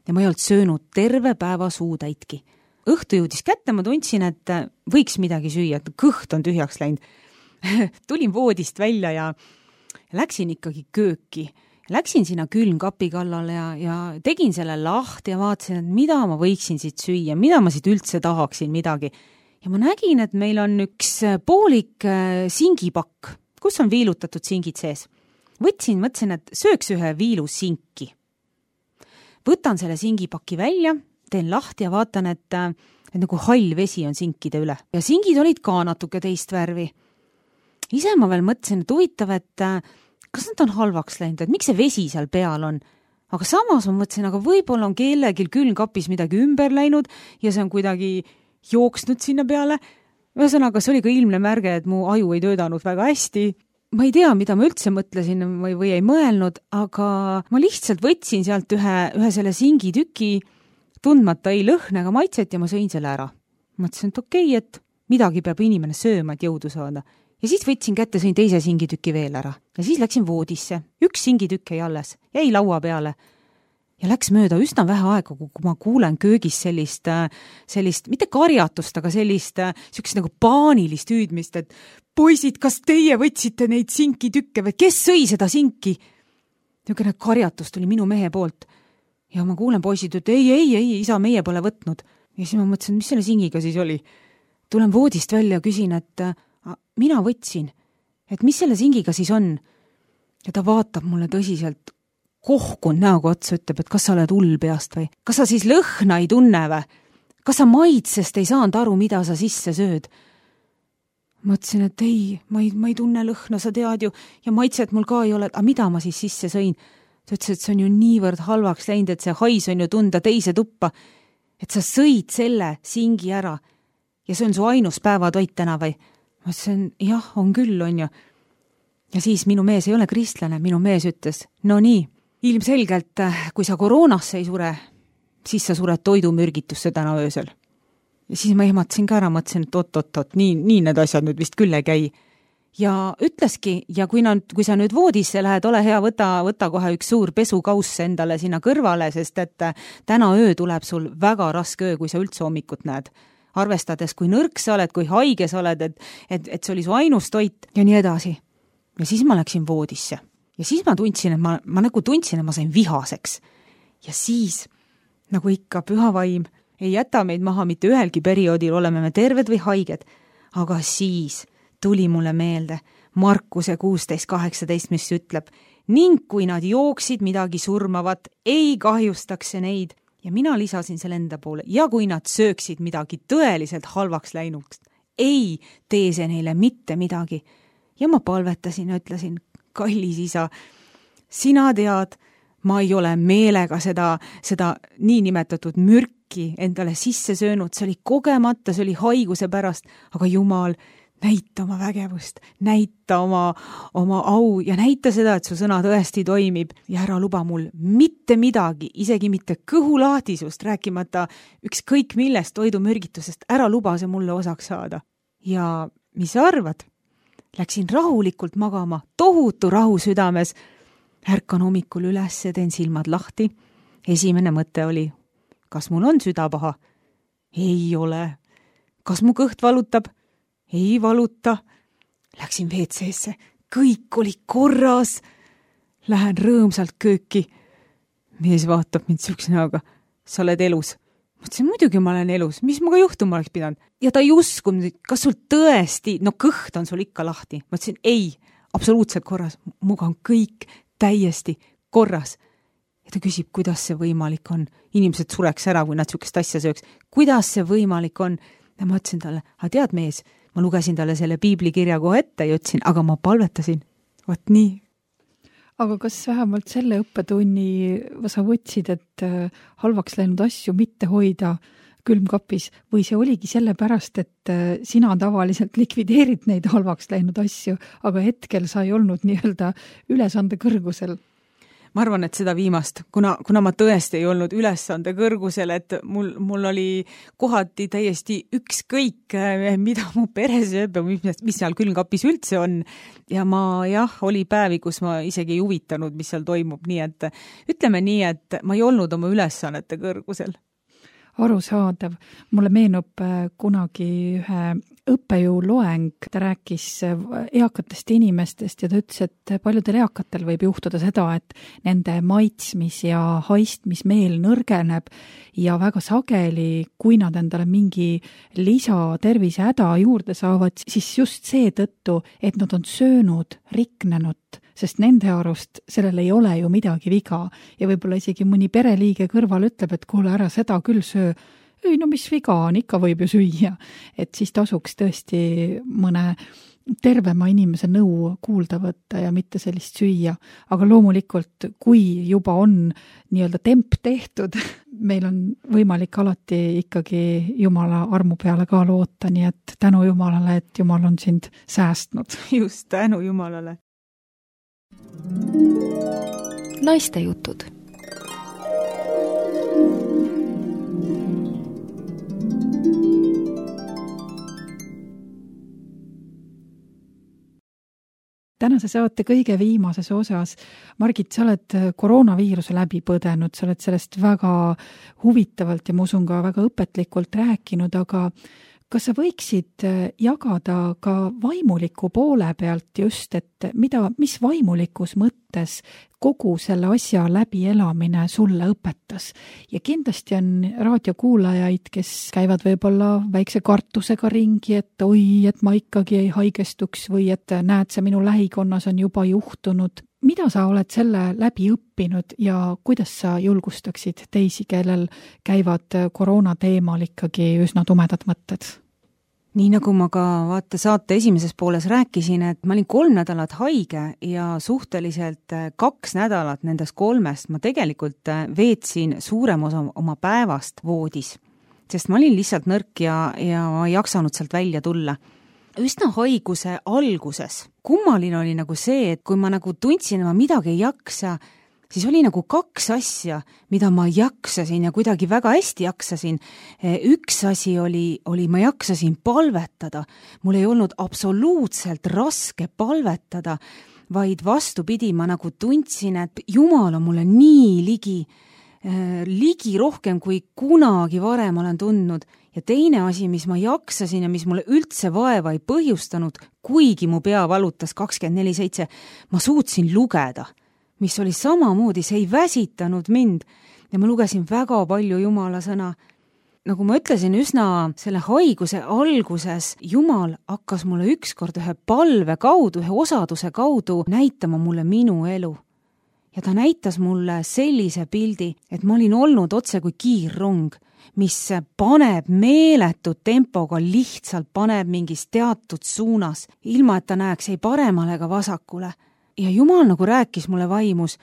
C: ja ma ei olnud söönud terve päeva suutäitki. Õhtu jõudis kätte, ma tundsin, et võiks midagi süüa, et kõht on tühjaks läinud. Tulin voodist välja ja läksin ikkagi kööki. Läksin sinna külmkapi kallale ja tegin selle lahti ja vaatasin, et mida ma võiksin siit süüa, mida ma siit üldse tahaksin midagi. Ja ma nägin, et meil on üks poolik singipakk, kus on viilutatud singid sees. Mõtlesin, et sööks ühe viilu sinki. Võtan selle singipaki välja, teen lahti ja vaatan, et nagu hall vesi on sinkide üle. Ja singid olid ka natuke teist värvi. Ise ma veel mõtlesin, et huvitav, et kas nad on halvaks läinud, et miks see vesi seal peal on. Aga samas ma mõtlesin, aga võib-olla on kellelgi külmkapis midagi ümber läinud ja see on kuidagi jooksnud sinna peale. Ühesõnaga, see oli ka ilmne märge, et mu aju ei töödanud väga hästi. Ma ei tea, mida ma üldse mõtlesin või ei mõelnud, aga ma lihtsalt võtsin sealt ühe selle singitüki, tundmata ei lõhne ega maitset ja ma sõin selle ära. Mõtlesin, et okei, et midagi peab inimene sööma, et jõudu saada. Ja siis võtsin kätte, sõin teise singitüki veel ära. Ja siis läksin voodisse. Üks singitükk jäi alles, jäi laua peale. Ja läks mööda üsna vähe aega, kui ma kuulen köögis sellist mitte karjatust, aga sellist nagu paanilist hüüdmist, et poisid, kas teie võtsite neid sinkitükke või kes sõi seda sinki? Niisugune karjatus tuli minu mehe poolt. Ja ma kuulen poisid, et ei, isa, meie pole võtnud. Ja siis ma mõtlesin, mis selle singiga siis oli? Tulen voodist välja ja küsin, et mina võtsin, et mis selle singiga siis on? Ja ta vaatab mulle tõsiselt kohkun näoga otsa, ütleb, et kas sa oled hull peast või? Kas sa siis lõhna ei tunne või? Kas sa maitsest ei saanud aru, mida sa sisse sööd? Mõtlesin, et ei, ma ei tunne lõhna, sa tead ju, ja maitset mul ka ei ole, aga mida ma siis sisse sõin? Ta ütles, et see on ju niivõrd halvaks läinud, et see hais on ju tunda teise tuppa, et sa sõid selle singi ära ja see on su ainus päevatoit täna või? Ma ütlesin, jah, on küll, on ju. Ja siis minu mees ei ole kristlane, minu mees ütles, no nii, ilmselgelt, kui sa koroonasse ei sure, siis sa sured toidumürgitusse täna öösel. Ja siis ma ehmatasin ka ära, mõtlesin, et oot, nii need asjad nüüd vist küll ei käi. Ja ütleski, ja kui sa nüüd voodisse lähed, ole hea, võta kohe üks suur pesukauss endale sinna kõrvale, sest et täna öö tuleb sul väga raske öö, kui sa üldse hommikut näed. Arvestades, kui nõrk sa oled, kui haige sa oled, et see oli su ainus toit ja nii edasi. Ja siis ma läksin voodisse. Ja siis ma tundsin, et ma nagu tundsin, et ma sain vihaseks. Ja siis, nagu ikka, püha vaim ei jäta meid maha mitte ühelgi perioodil, oleme me terved või haiged. Aga siis tuli mulle meelde Markuse 16:18, mis ütleb, ning kui nad jooksid midagi surmavat, ei kahjustaks see neid. Ja mina lisasin selle enda poole, ja kui nad sööksid midagi tõeliselt halvaks läinuks, ei tee see neile mitte midagi. Ja ma palvetasin ja ütlesin, kallis isa, sina tead, ma ei ole meelega seda niinimetatud mürki endale sisse söönud, see oli kogemata, see oli haiguse pärast, aga Jumal, näita oma vägevust, näita oma au ja näita seda, et su sõna tõesti toimib ja ära luba mul mitte midagi, isegi mitte kõhulaatisust, rääkimata ükskõik millest toidumürgitusest, ära luba see mulle osaks saada. Ja mis sa arvad? Läksin rahulikult magama, tohutu rahu südames. Ärkan hommikul üles, teen silmad lahti. Esimene mõte oli, kas mul on süda paha? Ei ole. Kas mu kõht valutab? Ei valuta. Läksin WC-sse, kõik oli korras. Lähen rõõmsalt kööki. Mees vaatab mind sükse näoga. Sa oled elus. Mõtlesin, muidugi ma olen elus, mis muga juhtuma oleks pidanud? Ja ta ei uskunud, kas sul tõesti, no kõht on sul ikka lahti. Mõtlesin, ei, absoluutselt korras, muga on kõik täiesti korras. Ja ta küsib, kuidas see võimalik on. Inimesed sureks ära, kui nad sükest asja sööks. Kuidas see võimalik on? Ja ma ütlesin talle, tead mees, ma lugesin talle selle piiblikirja kohe ette ja ütlesin, aga ma palvetasin. Vot nii.
B: Aga kas vähemalt selle õppetunni sa võtsid, et halvaks läinud asju mitte hoida külmkapis või see oligi sellepärast, et sina tavaliselt likvideerid neid halvaks läinud asju, aga hetkel sa ei olnud nii-öelda ülesande kõrgusel?
C: Ma arvan, et seda viimast, kuna ma tõesti ei olnud ülesande kõrgusel, et mul oli kohati täiesti ükskõik, mida mu pere sööb ja mis seal külmkapis üldse on. Ja oli päevi, kus ma isegi ei huvitanud, mis seal toimub. Nii et ütleme nii, et ma ei olnud oma ülesannete kõrgusel.
B: Arusaadav. Mulle meenub kunagi ühe õppejõu loeng, ta rääkis eakatest inimestest ja ta ütles, et paljudel eakatel võib juhtuda seda, et nende maitsmis- ja haistmismeel nõrgeneb ja väga sageli, kui nad endale mingi lisatervise häda juurde saavad, siis just seetõttu, et nad on söönud riknenud, sest nende arust sellel ei ole ju midagi viga ja võib-olla isegi mõni pereliige kõrval ütleb, et kuule, ära seda küll söö. Ei, no mis viga on, ikka võib ju süüa. Et siis tasuks tõesti mõne tervema inimese nõu kuulda võtta ja mitte sellist süüa. Aga loomulikult, kui juba on nii-öelda temp tehtud, meil on võimalik alati ikkagi Jumala armu peale ka loota, nii et tänu Jumalale, et Jumal on sind säästnud.
C: Just, tänu Jumalale.
A: Naistejutud.
B: tänase saate kõige viimases osas. Margit, sa oled koroonaviiruse läbi põdenud, sa oled sellest väga huvitavalt ja ma usun ka väga õpetlikult rääkinud, aga kas sa võiksid jagada ka vaimuliku poole pealt just, et mis vaimulikus mõttes kogu selle asja läbielamine sulle õpetas? Ja kindlasti on raadiokuulajaid, kes käivad võib-olla väikse kartusega ringi, et oi, et ma ikkagi ei haigestuks või et näed, see minu lähikonnas on juba juhtunud. Mida sa oled selle läbi õppinud ja kuidas sa julgustaksid teisi, kellel käivad koroona teemal ikkagi üsna tumedad mõtted?
C: Nii nagu ma ka saate esimeses pooles rääkisin, et ma olin 3 nädalat haige ja suhteliselt 2 nädalat nendest 3 ma tegelikult veetsin suurem osa oma päevast voodis, sest ma olin lihtsalt nõrk ja ma ei jaksanud sealt välja tulla. Üsna haiguse alguses kummaline oli nagu see, et kui ma nagu tundsin, et ma midagi ei jaksa, siis oli nagu 2 asja, mida ma jaksasin ja kuidagi väga hästi jaksasin. Üks asi oli ma jaksasin palvetada. Mul ei olnud absoluutselt raske palvetada, vaid vastupidi, ma nagu tundsin, et Jumal on mulle nii ligi rohkem kui kunagi varem olen tundnud. Ja teine asi, mis ma jaksasin ja mis mulle üldse vaeva ei põhjustanud, kuigi mu pea valutas 24/7, ma suutsin lugeda, mis oli samamoodi, see ei väsitanud mind ja ma lugesin väga palju Jumala sõna. Nagu ma ütlesin, üsna selle haiguse alguses Jumal hakkas mulle ükskord ühe palve kaudu, ühe osaduse kaudu näitama mulle minu elu. Ja ta näitas mulle sellise pildi, et ma olin olnud otse kui kiirrong, mis paneb meeletud tempoga, lihtsalt paneb mingis teatud suunas, ilma et ta näeks ei paremale ega vasakule. Ja Jumal nagu rääkis mulle vaimus,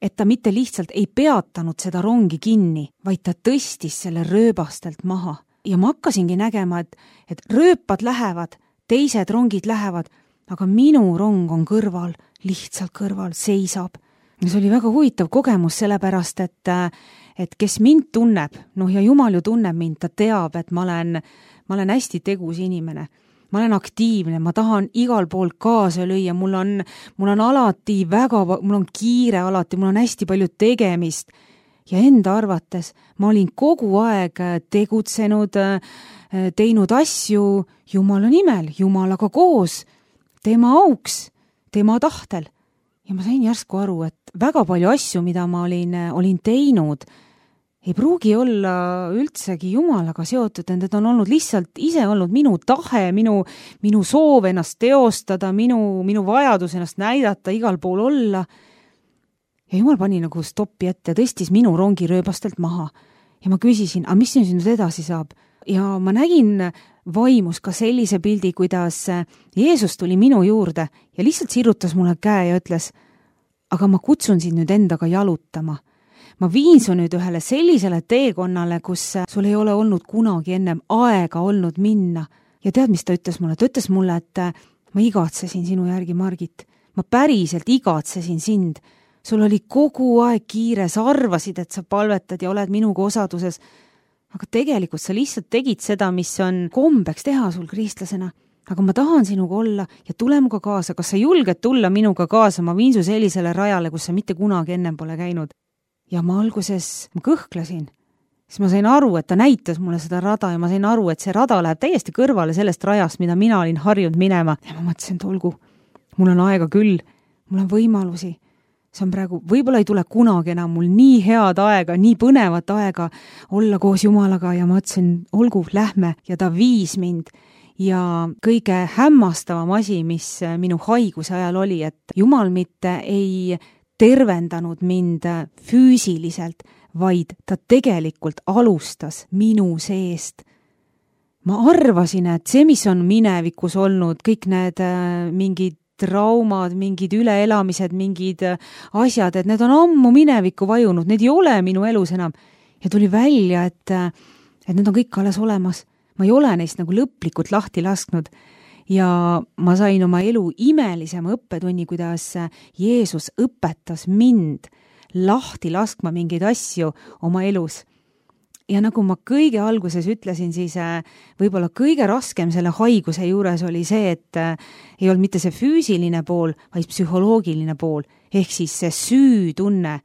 C: et ta mitte lihtsalt ei peatanud seda rongi kinni, vaid ta tõstis selle rööbastelt maha. Ja ma hakkasingi nägema, et rööpad lähevad, teised rongid lähevad, aga minu rong on kõrval, lihtsalt kõrval, seisab. Ja see oli väga huvitav kogemus, sellepärast, et kes mind tunneb, ja Jumal ju tunneb mind, ta teab, et ma olen hästi tegus inimene. Ma olen aktiivne, ma tahan igal pool kaasa lüüa, mul on alati mul on kiire alati, mul on hästi palju tegemist. Ja enda arvates ma olin kogu aeg tegutsenud, teinud asju Jumala nimel, Jumalaga koos, tema auks, tema tahtel. Ja ma sain järsku aru, et väga palju asju, mida ma olin teinud, ei pruugi olla üldsegi Jumalaga seotud, need on olnud lihtsalt ise olnud minu tahe, minu soov ennast teostada, minu vajadus ennast näidata, igal pool olla. Ja Jumal pani nagu stoppi ette, tõstis minu rongi rööbastelt maha. Ja ma küsisin, mis nüüd edasi saab? Ja ma nägin vaimus ka sellise pildi, kuidas Jeesus tuli minu juurde ja lihtsalt sirutas mulle käe ja ütles, aga ma kutsun sind nüüd endaga jalutama. Ma viin su nüüd ühele sellisele teekonnale, kus sul ei ole olnud kunagi ennem aega olnud minna. Ja tead, mis ta ütles mulle? Ta ütles mulle, et ma igatsesin sinu järgi, Margit. Ma päriselt igatsesin sind. Sul oli kogu aeg kiire, sa arvasid, et sa palvetad ja oled minuga osaduses. Aga tegelikult sa lihtsalt tegid seda, mis on kombeks teha sul kristlasena. Aga ma tahan sinuga olla ja tule muga kaasa. Kas sa julged tulla minuga kaasa? Ma viin su sellisele rajale, kus sa mitte kunagi ennem pole käinud. Ja ma alguses kõhklesin. Siis ma sain aru, et ta näitas mulle seda rada ja ma sain aru, et see rada läheb täiesti kõrvale sellest rajast, mida mina olin harjunud minema. Ja ma mõtlesin, et olgu, mul on aega küll, mul on võimalusi. See on praegu, võib-olla ei tule kunagi enam mul nii head aega, nii põnevat aega olla koos Jumalaga ja ma mõtlesin, olgu, lähme ja ta viis mind. Ja kõige hämmastavam asi, mis minu haiguse ajal oli, et Jumal mitte ei tervendanud mind füüsiliselt, vaid ta tegelikult alustas minu seest. Ma arvasin, et see, mis on minevikus olnud, kõik need mingid traumad, mingid üleelamised, mingid asjad, et need on ammu minevikku vajunud, need ei ole minu elus enam. Ja tuli välja, et need on kõik alles olemas. Ma ei ole neist nagu lõplikult lahti lasknud. Ja ma sain oma elu imelisema õppetunni, kuidas Jeesus õpetas mind lahti laskma mingeid asju oma elus. ja nagu ma kõige alguses ütlesin, siis võib-olla kõige raskem selle haiguse juures oli see, et ei olnud mitte see füüsiline pool, vaid psühholoogiline pool. Ehk siis see süütunne,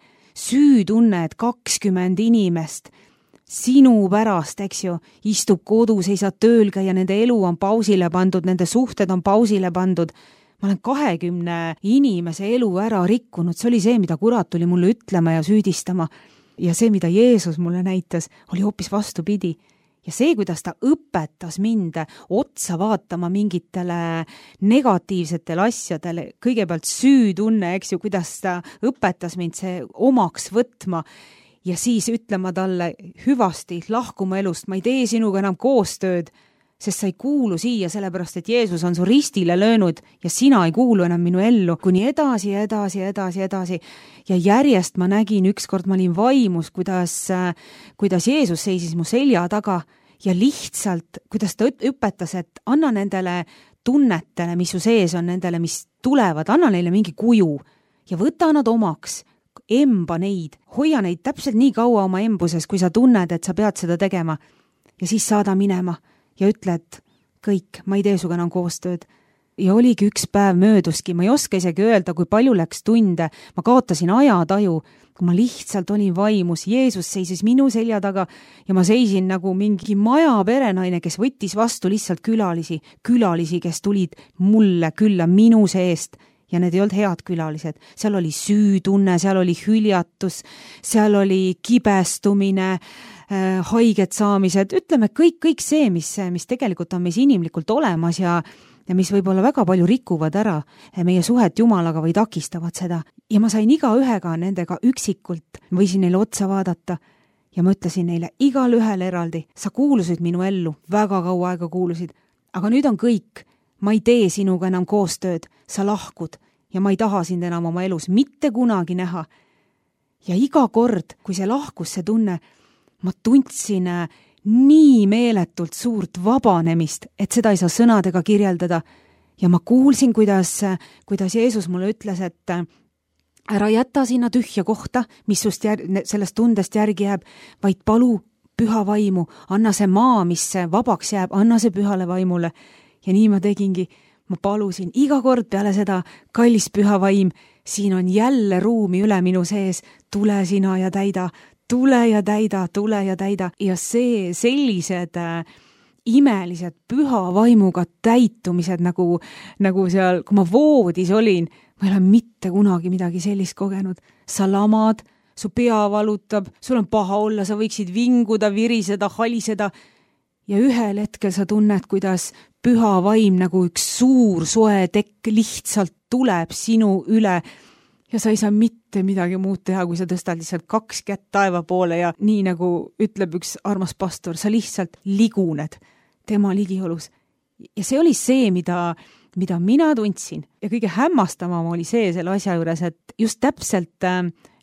C: et 20 inimest sinu pärast, eks ju, istub kodus, ei saa tööl käia, nende elu on pausile pandud, nende suhted on pausile pandud. Ma olen 20 inimese elu ära rikkunud, see oli see, mida kurat tuli mulle ütlema ja süüdistama. Ja see, mida Jeesus mulle näitas, oli hoopis vastupidi. Ja see, kuidas ta õpetas mind otsa vaatama mingitele negatiivsetele asjadele, kõigepealt süütunne, eks ju, kuidas ta õpetas mind see omaks võtma ja siis ütlema talle hüvasti, lahkuma elust, ma ei tee sinuga enam koostööd, sest sa ei kuulu siia, sellepärast et Jeesus on su ristile löönud ja sina ei kuulu enam minu ellu, kuni edasi. Ja järjest ma nägin, ükskord ma olin vaimus, kuidas Jeesus seisis mu selja taga ja lihtsalt, kuidas ta õpetas, et anna nendele tunnetele, mis su sees on, nendele, mis tulevad, anna neile mingi kuju ja võta nad omaks, emba neid, hoia neid täpselt nii kaua oma embuses, kui sa tunned, et sa pead seda tegema ja siis saada minema. Ja ütled, kõik, ma ei tee suga enam koostööd. Ja oligi üks päev mööduski, ma ei oska isegi öelda, kui palju läks tunde, ma kaotasin ajataju, kui ma lihtsalt olin vaimus, Jeesus seisis minu selja taga ja ma seisin nagu mingi maja perenaine, kes võttis vastu lihtsalt külalisi, kes tulid mulle külla minu seest ja need ei olnud head külalised. Seal oli süütunne, seal oli hüljatus, seal oli kibestumine, haiget saamised, ütleme kõik see, mis tegelikult on meis inimlikult olemas ja mis võib-olla väga palju rikuvad ära meie suhet Jumalaga või takistavad seda. Ja ma sain igaühega nendega üksikult, võisin neile otsa vaadata ja ma ütlesin neile igal ühel eraldi, sa kuulusid minu ellu, väga kaua aega kuulusid, aga nüüd on kõik, ma ei tee sinuga enam koostööd, sa lahkud ja ma ei taha sind enam oma elus mitte kunagi näha. Ja iga kord, kui see lahkus, see tunne, ma tundsin nii meeletult suurt vabanemist, et seda ei saa sõnadega kirjeldada. Ja ma kuulsin, kuidas Jeesus mulle ütles, et ära jäta sinna tühja kohta, mis sust sellest tundest järgi jääb, vaid palu püha vaimu, anna see maa, mis vabaks jääb, anna see pühale vaimule. Ja nii ma tegingi, ma palusin iga kord peale seda, kallis püha vaim, siin on jälle ruumi üle minu sees, tule sina ja täida. Tule ja täida ja see sellised imelised püha vaimuga täitumised nagu seal, kui ma voodis olin, ma ei ole mitte kunagi midagi sellist kogenud. Sa lamad, su pea valutab, sul on paha olla, sa võiksid vinguda, viriseda, haliseda ja ühel hetkel sa tunned, kuidas püha vaim nagu üks suur soe tekk lihtsalt tuleb sinu üle ja sa ei saa mitte midagi muud teha, kui sa tõstad lihtsalt 2 kätt taeva poole ja nii nagu ütleb üks armas pastor, sa lihtsalt liguned tema ligiolus. Ja see oli see, mida mina tundsin ja kõige hämmastavam oli see selle asja juures, et just täpselt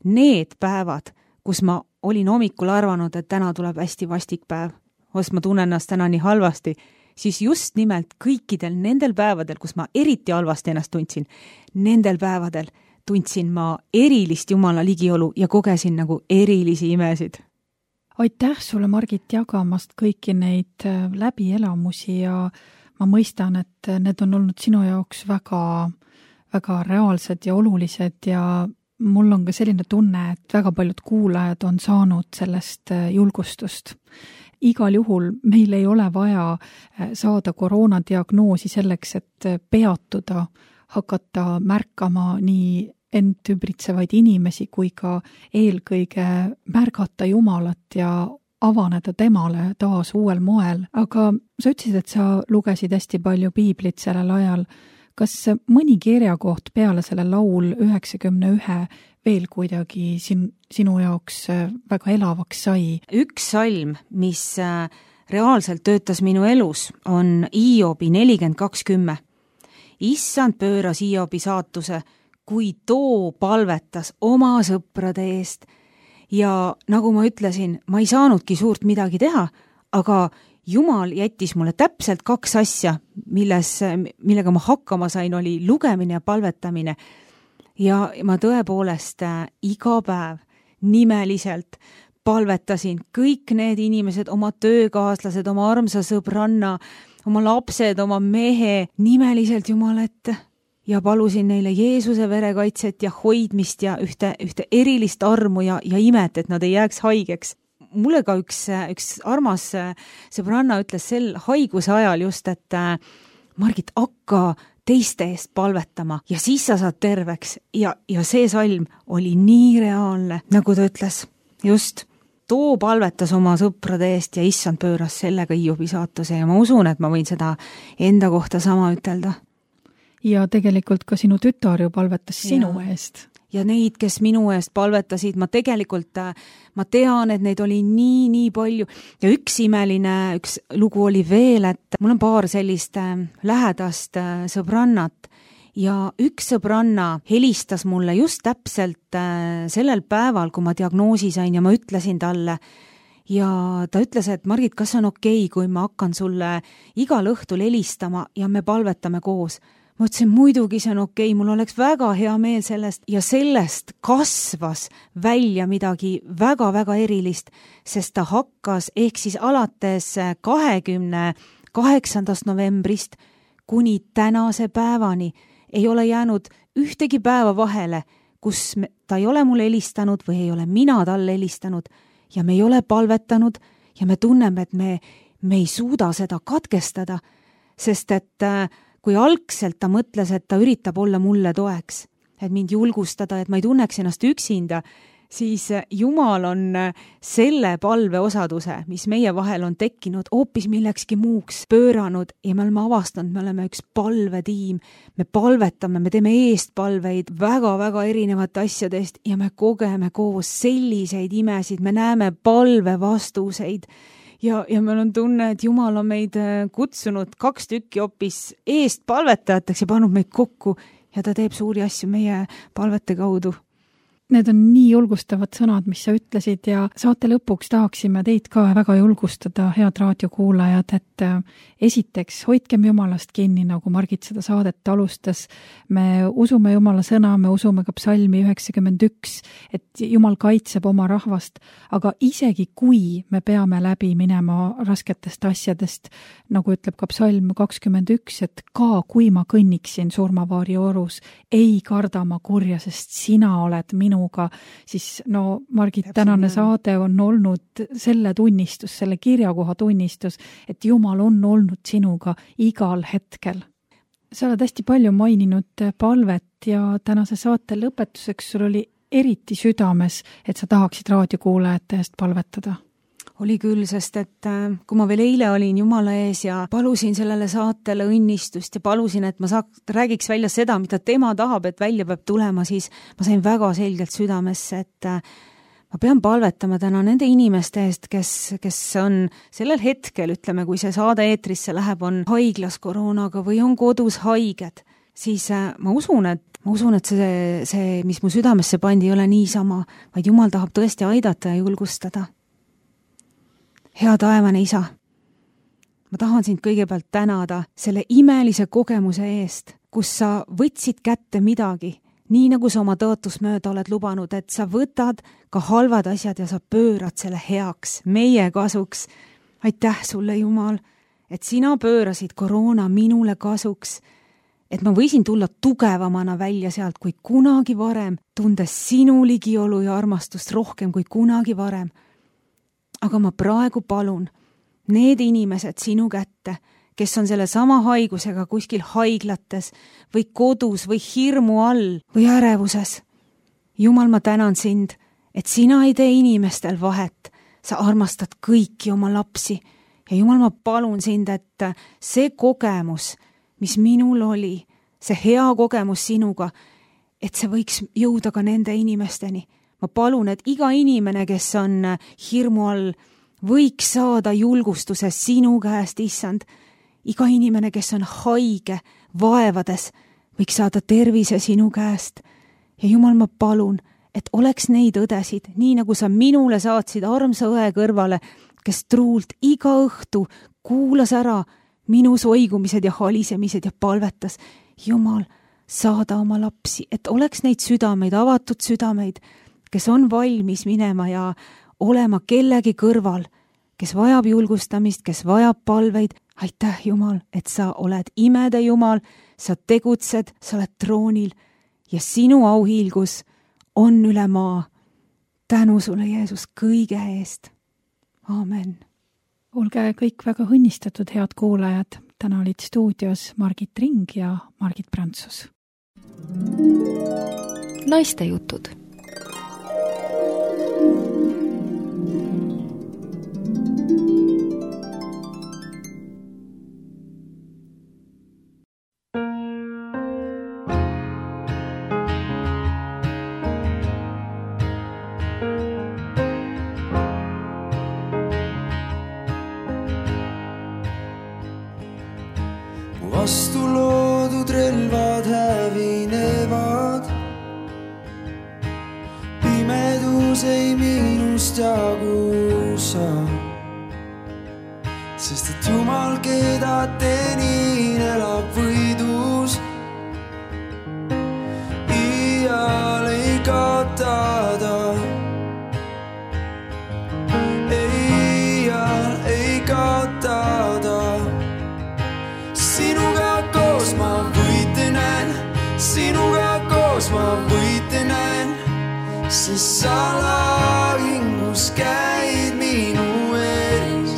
C: need päevad, kus ma olin hommikul arvanud, et täna tuleb hästi vastik päev, sest ma tunnen ennast täna nii halvasti, siis just nimelt kõikidel nendel päevadel, kus ma eriti halvasti ennast tundsin, nendel päevadel tundsin ma erilist Jumala ligiolu ja kogesin nagu erilisi imesid.
B: Aitäh sulle, Margit, jagamast kõiki neid läbielamusi ja ma mõistan, et need on olnud sinu jaoks väga, väga reaalsed ja olulised ja mul on ka selline tunne, et väga paljud kuulajad on saanud sellest julgustust. Igal juhul meil ei ole vaja saada koroonadiagnoosi selleks, et peatuda, hakata märkama nii end ümbritsevaid inimesi kui ka eelkõige märgata Jumalat ja avaneda temale taas uuel moel. Aga sa ütlesid, et sa lugesid hästi palju piiblit sellel ajal. Kas mõni kirjakoht peale selle laul 91 veel kuidagi sinu jaoks väga elavaks sai?
C: Üks salm, mis reaalselt töötas minu elus, on Hiobi 42:10. Issand pööras Hiobi saatuse, kui too palvetas oma sõprade eest. Ja nagu ma ütlesin, ma ei saanudki suurt midagi teha, aga Jumal jättis mulle täpselt 2 asja, millega ma hakkama sain, oli lugemine ja palvetamine. Ja ma tõepoolest iga päev nimeliselt palvetasin, kõik need inimesed, oma töökaaslased, oma armsa sõbranna, oma lapsed, oma mehe nimeliselt Jumala ette ja palusin neile Jeesuse verekaitset ja hoidmist ja ühte erilist armu ja imet, et nad ei jääks haigeks. Mulle ka üks armas sõbranna ütles sel haiguse ajal just, et Margit, hakka teiste eest palvetama ja siis sa saad terveks ja see salm oli nii reaalne, nagu ta ütles. Just, too palvetas oma sõprade eest ja issand pööras sellega Hiobi saatuse ja ma usun, et ma võin seda enda kohta sama ütelda.
B: Ja tegelikult ka sinu tütar ju palvetas sinu eest.
C: Ja neid, kes minu eest palvetasid, ma tean, et neid oli nii palju. Ja üks lugu oli veel, et mul on paar sellist lähedast sõbrannat ja üks sõbranna helistas mulle just täpselt sellel päeval, kui ma diagnoosi sain ja ma ütlesin talle ja ta ütles, et Margit, kas on okei, kui ma hakkan sulle igal õhtul helistama ja me palvetame koos? Ma ütlesin, muidugi see on okei, mul oleks väga hea meel sellest ja sellest kasvas välja midagi väga-väga erilist, sest ta hakkas ehk siis alates 28. novembrist kuni tänase päevani ei ole jäänud ühtegi päeva vahele, kus ta ei ole mulle helistanud või ei ole mina talle helistanud ja me ei ole palvetanud ja me tunneme, et me ei suuda seda katkestada, sest et kui algselt ta mõtles, et ta üritab olla mulle toeks, et mind julgustada, et ma ei tunneks ennast üksinda, siis Jumal on selle palveosaduse, mis meie vahel on tekkinud, hoopis millekski muuks pööranud ja me oleme avastanud, me oleme üks palvetiim, me palvetame, me teeme eestpalveid väga-väga erinevate asjadest ja me kogeme koos selliseid imesid, me näeme palvevastuseid. Ja meil on tunne, et Jumal on meid kutsunud 2 tükki hoopis eest palvetajateks ja pannud meid kokku ja ta teeb suuri asju meie palvete kaudu.
B: Need on nii julgustavad sõnad, mis sa ütlesid ja saate lõpuks tahaksime teid ka väga julgustada, head raadiokuulajad, et esiteks hoidkem Jumalast kinni, nagu Margit seda saadet alustas. Me usume Jumala sõna, me usume ka psalmi 91, et Jumal kaitseb oma rahvast, aga isegi kui me peame läbi minema rasketest asjadest, nagu ütleb ka psalm 21, et ka kui ma kõnniksin surmavaari orus, ei karda ma kurja, sest sina oled minuga, siis Margit, tänane saade on olnud selle tunnistus, selle kirjakoha tunnistus, et Jumal on olnud sinuga igal hetkel. Sa oled hästi palju maininud palvet ja tänase saate lõpetuseks sul oli eriti südames, et sa tahaksid raadiokuulajate eest palvetada.
C: Oli küll, sest et kui ma veel eile olin Jumala ees ja palusin sellele saatele õnnistust ja palusin, et ma räägiks välja seda, mida tema tahab, et välja peab tulema, siis ma sain väga selgelt südamesse, et ma pean palvetama täna nende inimeste eest, kes on sellel hetkel, ütleme, kui see saade eetrisse läheb, on haiglas koroonaga või on kodus haiged, siis ma usun, et see, mis mu südamesse pandi, ei ole niisama, vaid Jumal tahab tõesti aidata ja julgustada. Hea taevane isa, ma tahan sind kõigepealt tänada selle imelise kogemuse eest, kus sa võtsid kätte midagi, nii nagu sa oma tõotusmööda oled lubanud, et sa võtad ka halvad asjad ja sa pöörad selle heaks, meie kasuks. Aitäh sulle, Jumal, et sina pöörasid koroona minule kasuks, et ma võisin tulla tugevamana välja sealt kui kunagi varem, tundes sinu ligiolu ja armastust rohkem kui kunagi varem. Aga ma praegu palun need inimesed sinu kätte, kes on selle sama haigusega kuskil haiglates või kodus või hirmu all või ärevuses. Jumal, ma tänan sind, et sina ei tee inimestel vahet, sa armastad kõiki oma lapsi ja Jumal, ma palun sind, et see kogemus, mis minul oli, see hea kogemus sinuga, et see võiks jõuda ka nende inimesteni. Ma palun, et iga inimene, kes on hirmu all, võiks saada julgustuse sinu käest, issand. Iga inimene, kes on haige, vaevades, võiks saada tervise sinu käest. Ja Jumal, ma palun, et oleks neid õdesid, nii nagu sa minule saatsid armsa õe kõrvale, kes truult iga õhtu kuulas ära minu soigumised ja halisemised ja palvetas. Jumal, saada oma lapsi, et oleks neid südameid, avatud südameid, kes on valmis minema ja olema kellegi kõrval, kes vajab julgustamist, kes vajab palveid. Aitäh, Jumal, et sa oled imede Jumal, sa tegutsed, sa oled troonil ja sinu auhiilgus on üle maa. Tänu sulle, Jeesus, kõige eest. Aamen.
B: Olge kõik väga õnnistatud, head kuulajad. Täna olid stuudios Margit Ring ja Margit Prantsus.
A: Naiste jutud.
D: Vastu loodud relvad hävinevad, pimedus ei minust jagusa, sest et Jumal, keda tenin, elab võidus. Iial ei kaotada, iial ei kaotada. Sinuga koos ma võite näen, sinuga koos ma võite näen, sest sa lahingus käid minu ees.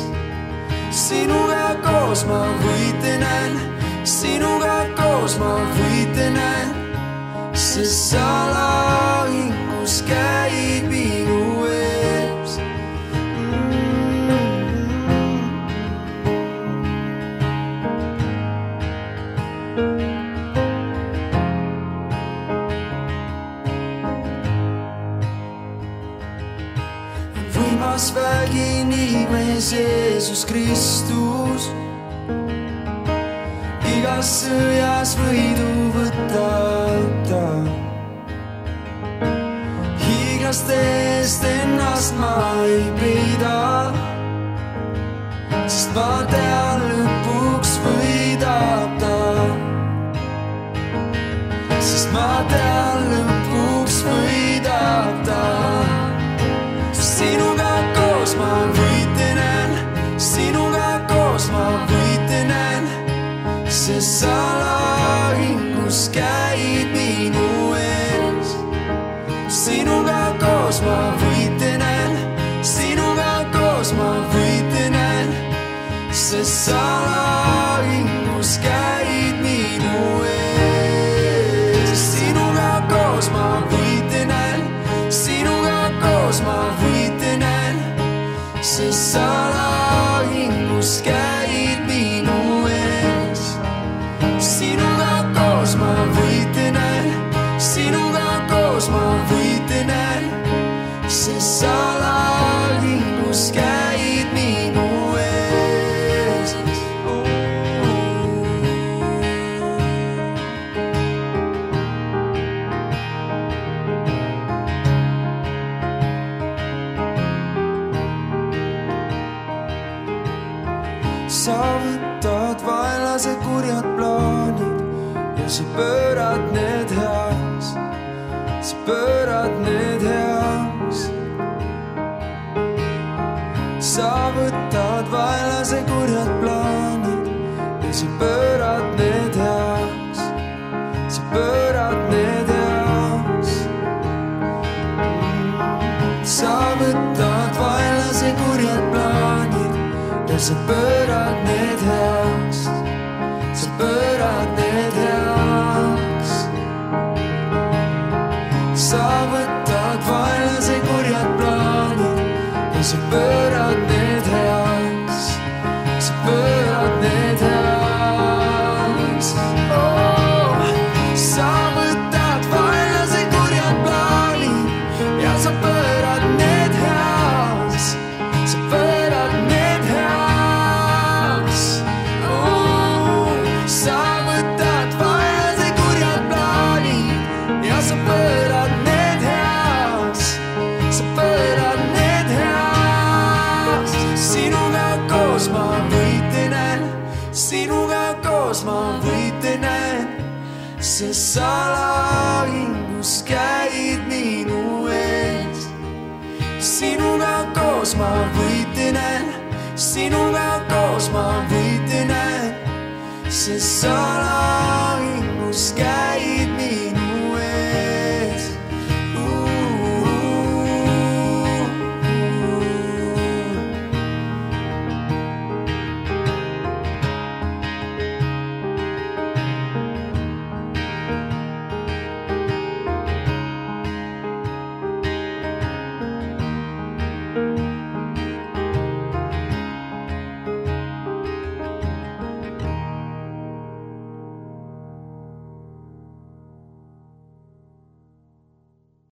D: Sinuga koos ma võite näen, sinuga koos ma võite näen, sest sa lahingus käid minu ees. Võimas vägi nimes Jeesus Kristus, igas sõjas võidu võtab ta. Hiiglaste eest ennast ma ei peida, sest ma tean, lõpuks võidab ta. Sest ma tean, lõpuks võidab ta. Sinuga koos ma võite näen, sinuga koos ma võite näen, sest sa lahingus käid minu ees. Sinuga koos ma võite näen, sinuga koos ma võite näen, sest sa lahingus käid minu ees. Sinuga koos ma võite näen, sinuga koos ma võite näen, sest sa lahingus käid minu ees. Sinuga koos ma võite näen, sinuga koos ma võite näen, sest sa lahingus käid minu ees. Sa võtad vaenlase kurjad plaanid ja sa pöörad need heaks, sa pöörad need heaks. Sa võtad vaenlase kurjad plaanid ja sa pöörad need heaks, sa pöörad need heaks. Sa võtad vaenlase kurjad plaanid ja sa pöörad need heaks, sa pöörad need heaks. Sa võtad vaenlase kurjad plaanid ja sa pöörad need heaks, sa pöörad need heaks. Oh, sa võtad vaenlase kurjad plaanid ja sa pöörad need heaks, sa pöörad need heaks. Oh, sa võtad vaenlase kurjad plaanid ja sa pöörad need heaks, sa pöörad need heaks. Sinuga koos ma võite näen, sinuga koos ma võite näen, sest sa lahingus käid minu ees. Sinuga koos koos ma võite näen, sinuga koos ma võite näen, see salaingus käib.